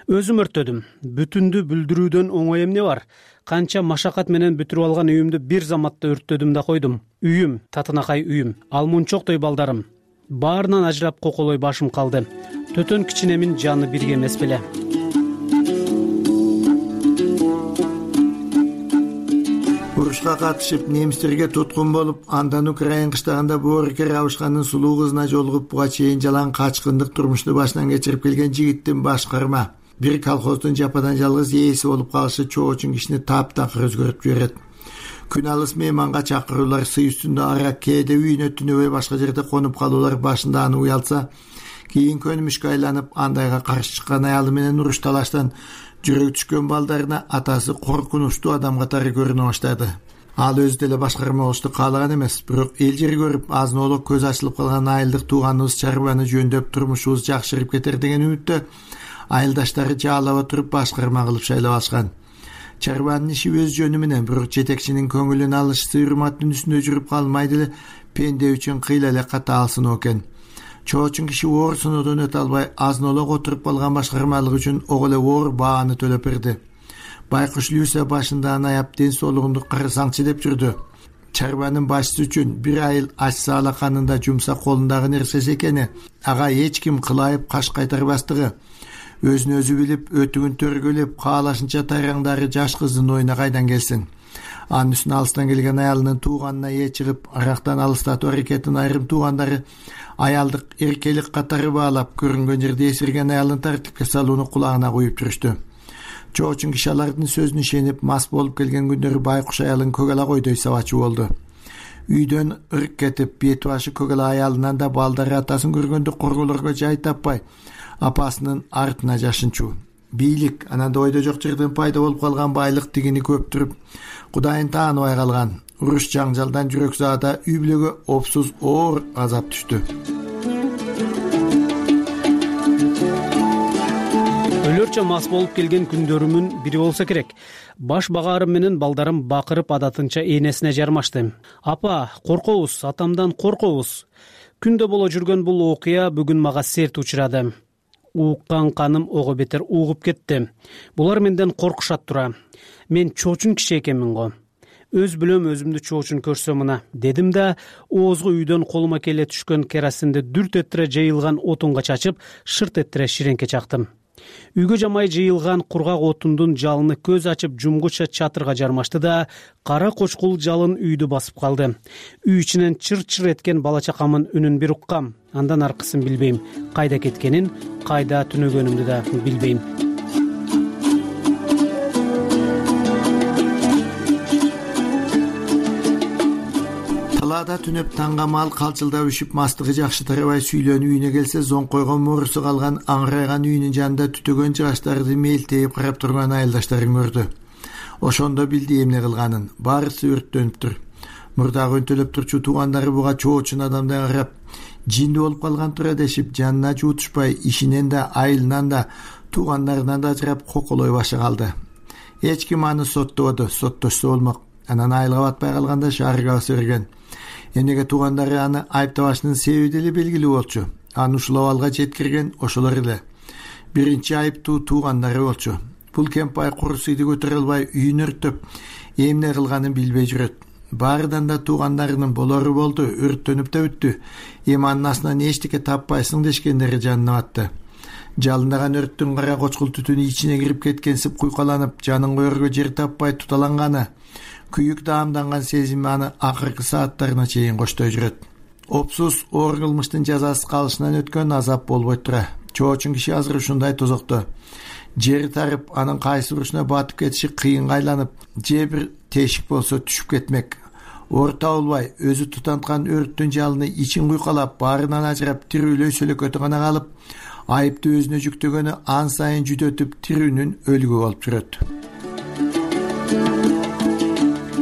Өзүм өрттөдүм. Бүтүндү бүлдүрүүдөн оңой эмне бар? Канча машакат менен бүтүрүп алган үйүмдү бир заматта өрттөдүм да койдум. Үйүм, татынакай үйүм, алмунчоктой балдарым. Баарынан ажырап коколой башым калды. Төтөн кичинемин жаны бирге эмес беле. Урушка катышып, немистерге туткун болуп, андан Украина кыштагында Борика Рябушканын сулуу кызына жолугуп, буга чейин жалаң качкындык турмушту башынан кечирип келген жигиттин башкарма, бир колхоздун жападан жалгыз ээси болуп калышы чоочун кишини таптакыр өзгөртүп жиберет. Күн алыс мейманга чакыруулар, сый үстүндө арак, кээде үйүнө түнөбөй башка жерде конуп калуулар башында аны уялса, кийин көнүмүшкө айланып, андайга каршы чыккан аялы менен уруш талаштан жүрөгү түшкөн балдарына атасы коркунучтуу адам катары көрүнө баштады. Ал өзү деле башкарма болушту каалаган эмес, бирок эл жери көрүп, азын-оло көз ачылып калган айылдык тууганыбыз чарбаны жөндөп, турмушубуз жакшырып кетер деген үмүттө айылдаштары жаалап отуруп башкарма кылып шайлап алышкан. Чарбанын иши өз жөнү менен, бирок жетекчинин көңүлүн алыш сыйырматтын үстүндө жүрүп калмайды эле, пенде үчүн кыйла эле катаалсын экен. Чоочун киши оор сыноодон өтө албай, азнолок отуруп калган башкармалык үчүн ого эле оор бааны төлөп берди. Байкуш Люся башында аяп ден соолугунду карасаңчы деп жүрдү. Чарбанын башчысы үчүн бир айыл ачса алаканында жумсак колундагы нерсеси экени, ага эч ким кылайып каш кайтарбастыгы, өзүн өзү билип, өтүгүн төргөлөп, каалашынча тайраңдары жаш кыздын оюна кайдан келсин. Анын үстүнө алыстан келген аялынын тууганына ээ чыгып, арактан алыстатуу аракетин айрым туугандары аялдык эркелик катары баалап, көрүнгөн жерде эсирген аялын тартипке салууну кулагына куюп жүрүштү. Чоочун киши алардын сөзүнө ишенип, мас болуп келген күндөрү Байкуш аялын көгала койдой сабачы болду. Үйдөн ырк кетип, бет башы көгала аялынан да балдары атасын көргөндө корголорго жай таппай, апасынын артына жашынчу. Бийлик, ананда ойдо жок жерден пайда болуп калган байлык тигини көптүрүп, Кудайын тааныбай калган. Уруш жаңжалдан жүрөк заада үй бүлөгө опсуз оор азап түштү. Өлөрчө мас болуп келген күндөрүмүн бири болсо керек. Баш багаарым менен балдарым бакырып адатынча энесине жармашты. Апа, коркобуз, атамдан коркобуз. Күндө боло жүргөн бул окуя бүгүн мага серт учурады. Ууккан каным ого бетер угуп кетти. Булар менден коркушат тура. Мен чоочун киши экенмин го. Өз билем өзүмдү чоочун көрсөм мына, дедим да, оозго үйдөн колума келе түшкөн керосинди дүрт этире жайылган отунга чачып, шырт этире ширеңке чактым. Үйгө жамай жыйылган кургак отундун жалыны көз ачып жумгуча чатырга жармашты да, кара кочкул жалын үйдү басып калды. Үй ичинен чыр-чыр эткен бала чакамын үнүн бир уккам. Андан аркысын билбейм. Кайда кеткенин, кайда түнөгөнүмдү да билбейм. Талаада түнөп таңгамал калчылдап үшүп, мастыгы жакшы тарабай сүйлөнүп үйүнө келсе, зоңкойгон морусу калган аңырайган үйүнүн жанында түтөгөн жаштарды мелтейип карап турган айылдаштарын көрдү. Ошондо билди эмне кылганын. Баарысы өрттөнүптүр. Мурдагы өнтөлөп турчу туугандары буга чоочун адамдан карап, жинди болуп калган тура дешип, жанына жуутушпай, ишинен да, айылынан да, туугандарынан да ажырап коколой башы калды. Эч ким аны соттободу, соттошсо болмок. Анан айылга батпай калганда шаарга баса берген. Эмнеге туугандары аны айыптабашынын себеби деле белгилүү болчу. Аны ушул абалга жеткирген ошолор эле. Биринчи айыптуу туугандары болчу. Бул кемпай курусуйду көтөрө албай, үйүн өрттөп, эмне кылганын билбей жүрөт. Баарыдан да туугандарынын болору болду, өрттөнүп да бүттү. Эми анын астынан эчтеке таппайсың дешкендери жанына батты. Жалындаган өрттүн кара кочкул түтүнү ичине кирип кеткенсип куйкаланып, жанын коерго жер таппай туталанганы, күйүк даамданган сезими аны акыркы сааттарына чейин коштой жүрөт. Опсуз оор кылмыштын жазасы калышынан өткөн азап болбой тура. Чоочун киши азыр ушундай тозокто. Жери тарып, анын кайсы бурушуна батып кетиши кыйынга айланып, же бир тешик болсо түшүп кетмек. Орто болбай, өзү тутанткан өрттүн жалыны ичин куйкалап, баарынан ажырап, тирүүлөй сөлөкөтү гана калып, айыпты өзүнө жүктөгөнү ан сайын жүдөтүп, тирүүнүн өлүгү болуп жүрөт.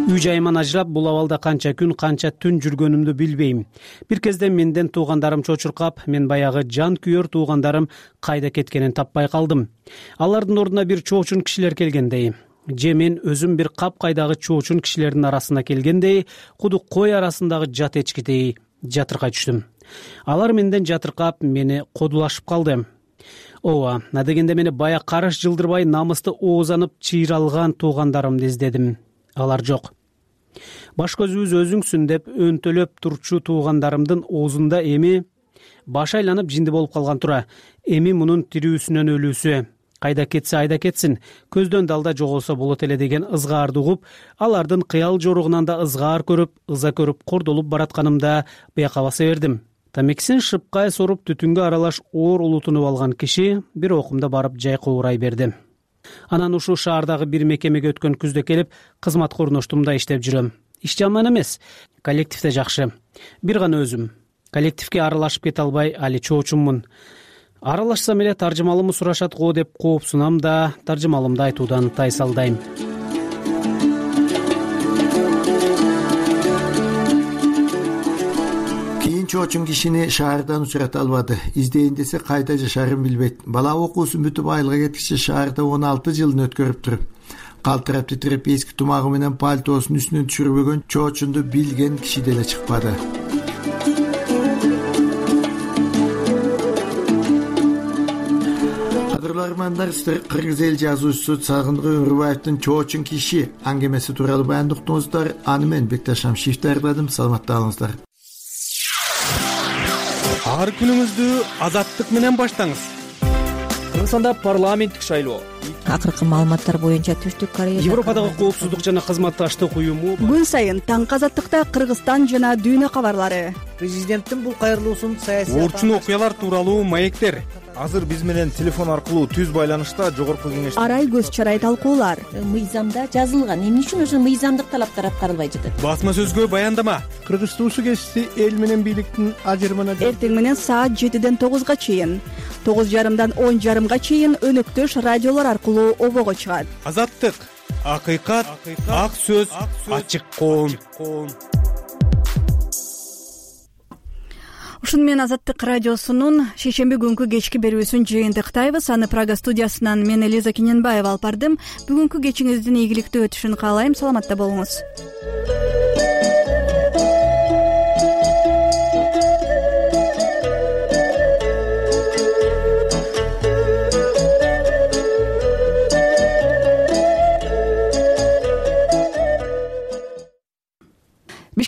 Үй жайыман ажырап, бул абалда канча күн, канча түн жүргөнүмдү билбейм. Бир кезде менден туугандарым чочуркап, мен баягы жан күйөр туугандарым кайда кеткенин таппай калдым. Алардын ордуна бир чоочун кишилер келгендей, же мен өзүм бир капкайдагы чоочун кишилердин арасына келгендей, кудук кой арасындагы жат эчкидей жатыркай түштүм. Алар менден жатыркап, мени кодулашып калды. Ооба, адегенде мени бая карыш жылдырбай намысты оозанып чыйралган туугандарымды издедим. Алар жок. Баш көзүбүз өзүңсүн деп өнтөлөп турчу туугандарымдын оозунда эми баш айланып жинди болуп калган тура. Эми мунун тирүүсүнөн өлүүсү. Кайда кетсе айда кетсин, көздөн далда жоголсо болот эле деген ызгаарды угуп, алардын кыял жоругунан да ызгаар көрүп, ыза көрүп кордолуп баратканымда бияка баса бердим. Тамекисин шыпкай соруп түтүнгө аралаш оор улутунуп алган киши бир окумда барып жай куурай берди. Анан ушул шаардагы бир мекемеге өткөн күздө келип, кызмат корноштумда иштеп жүрөм. Иш жаман эмес, коллективде жакшы. Бир гана өзүм. Коллективге аралашып кете албай, али чоочуммун. Аралашсам эле таржымалымды сурашат го деп коопсунам да, таржымалымды айтуудан тайсалдайм. Чоочун кишини шаардан учурата албады. Издейин десе кайда жашаарын билбейт. Бала окуусун бүтүп айылга кеткиче шаарда 16 жылын өткөрүптүр. калтырап титиреп эски тумагы менен пальтосун үстүнөн түшүрбөгөн чоочунду билген киши деле чыкпады. Кадырлармандар, сиздер кыргыз эл жазуучусу Сагындык Өмүрбаевдин чоочун киши аңгемеси тууралуу баяндыктыңыздар. Аны мен Бекташ Шамшиев даярдадым. Саламатта болуңуздар. Ар күнүңүздү азаттык менен баштаңыз. Кыргызстанда парламенттик шайлоо. Акыркы маалыматтар боюнча Түштүк Корея Европадагы коопсуздук жана кызматташтык уюму күн сайын таңкы азаттыкта Кыргызстан жана дүйнө кабарлары. Президенттин бул кайрылуусун саясий Орчун окуялар тууралуу маектер. Азыр биз менен телефон аркылуу түз байланышта жогорку кеңеш Арай көз чарай талкуулар. Мыйзамда жазылган. Эмне үчүн ошо мыйзамдык талаптар аткарылбай жатат? Басма сөзгө баяндама. Кыргыз туусу кесиси эл менен бийликтин ажырымына Эртең менен саат 7ден 9га чейин, 9:30дан 10:30га чейин өнөктөш радиолор аркылуу обого чыгат. Азаттык, акыйкат, ак сөз, ачык коом. Ушуну менен Азаттык радиосунун шейшемби күнкү кечки берүүсүн жыйынтыктайбыз. Аны Прага студиясынан мен Элиза Кененбаева алып бардым. Бүгүнкү кечиңиздин ийгиликтүү өтүшүн каалайм. Саламатта болуңуз.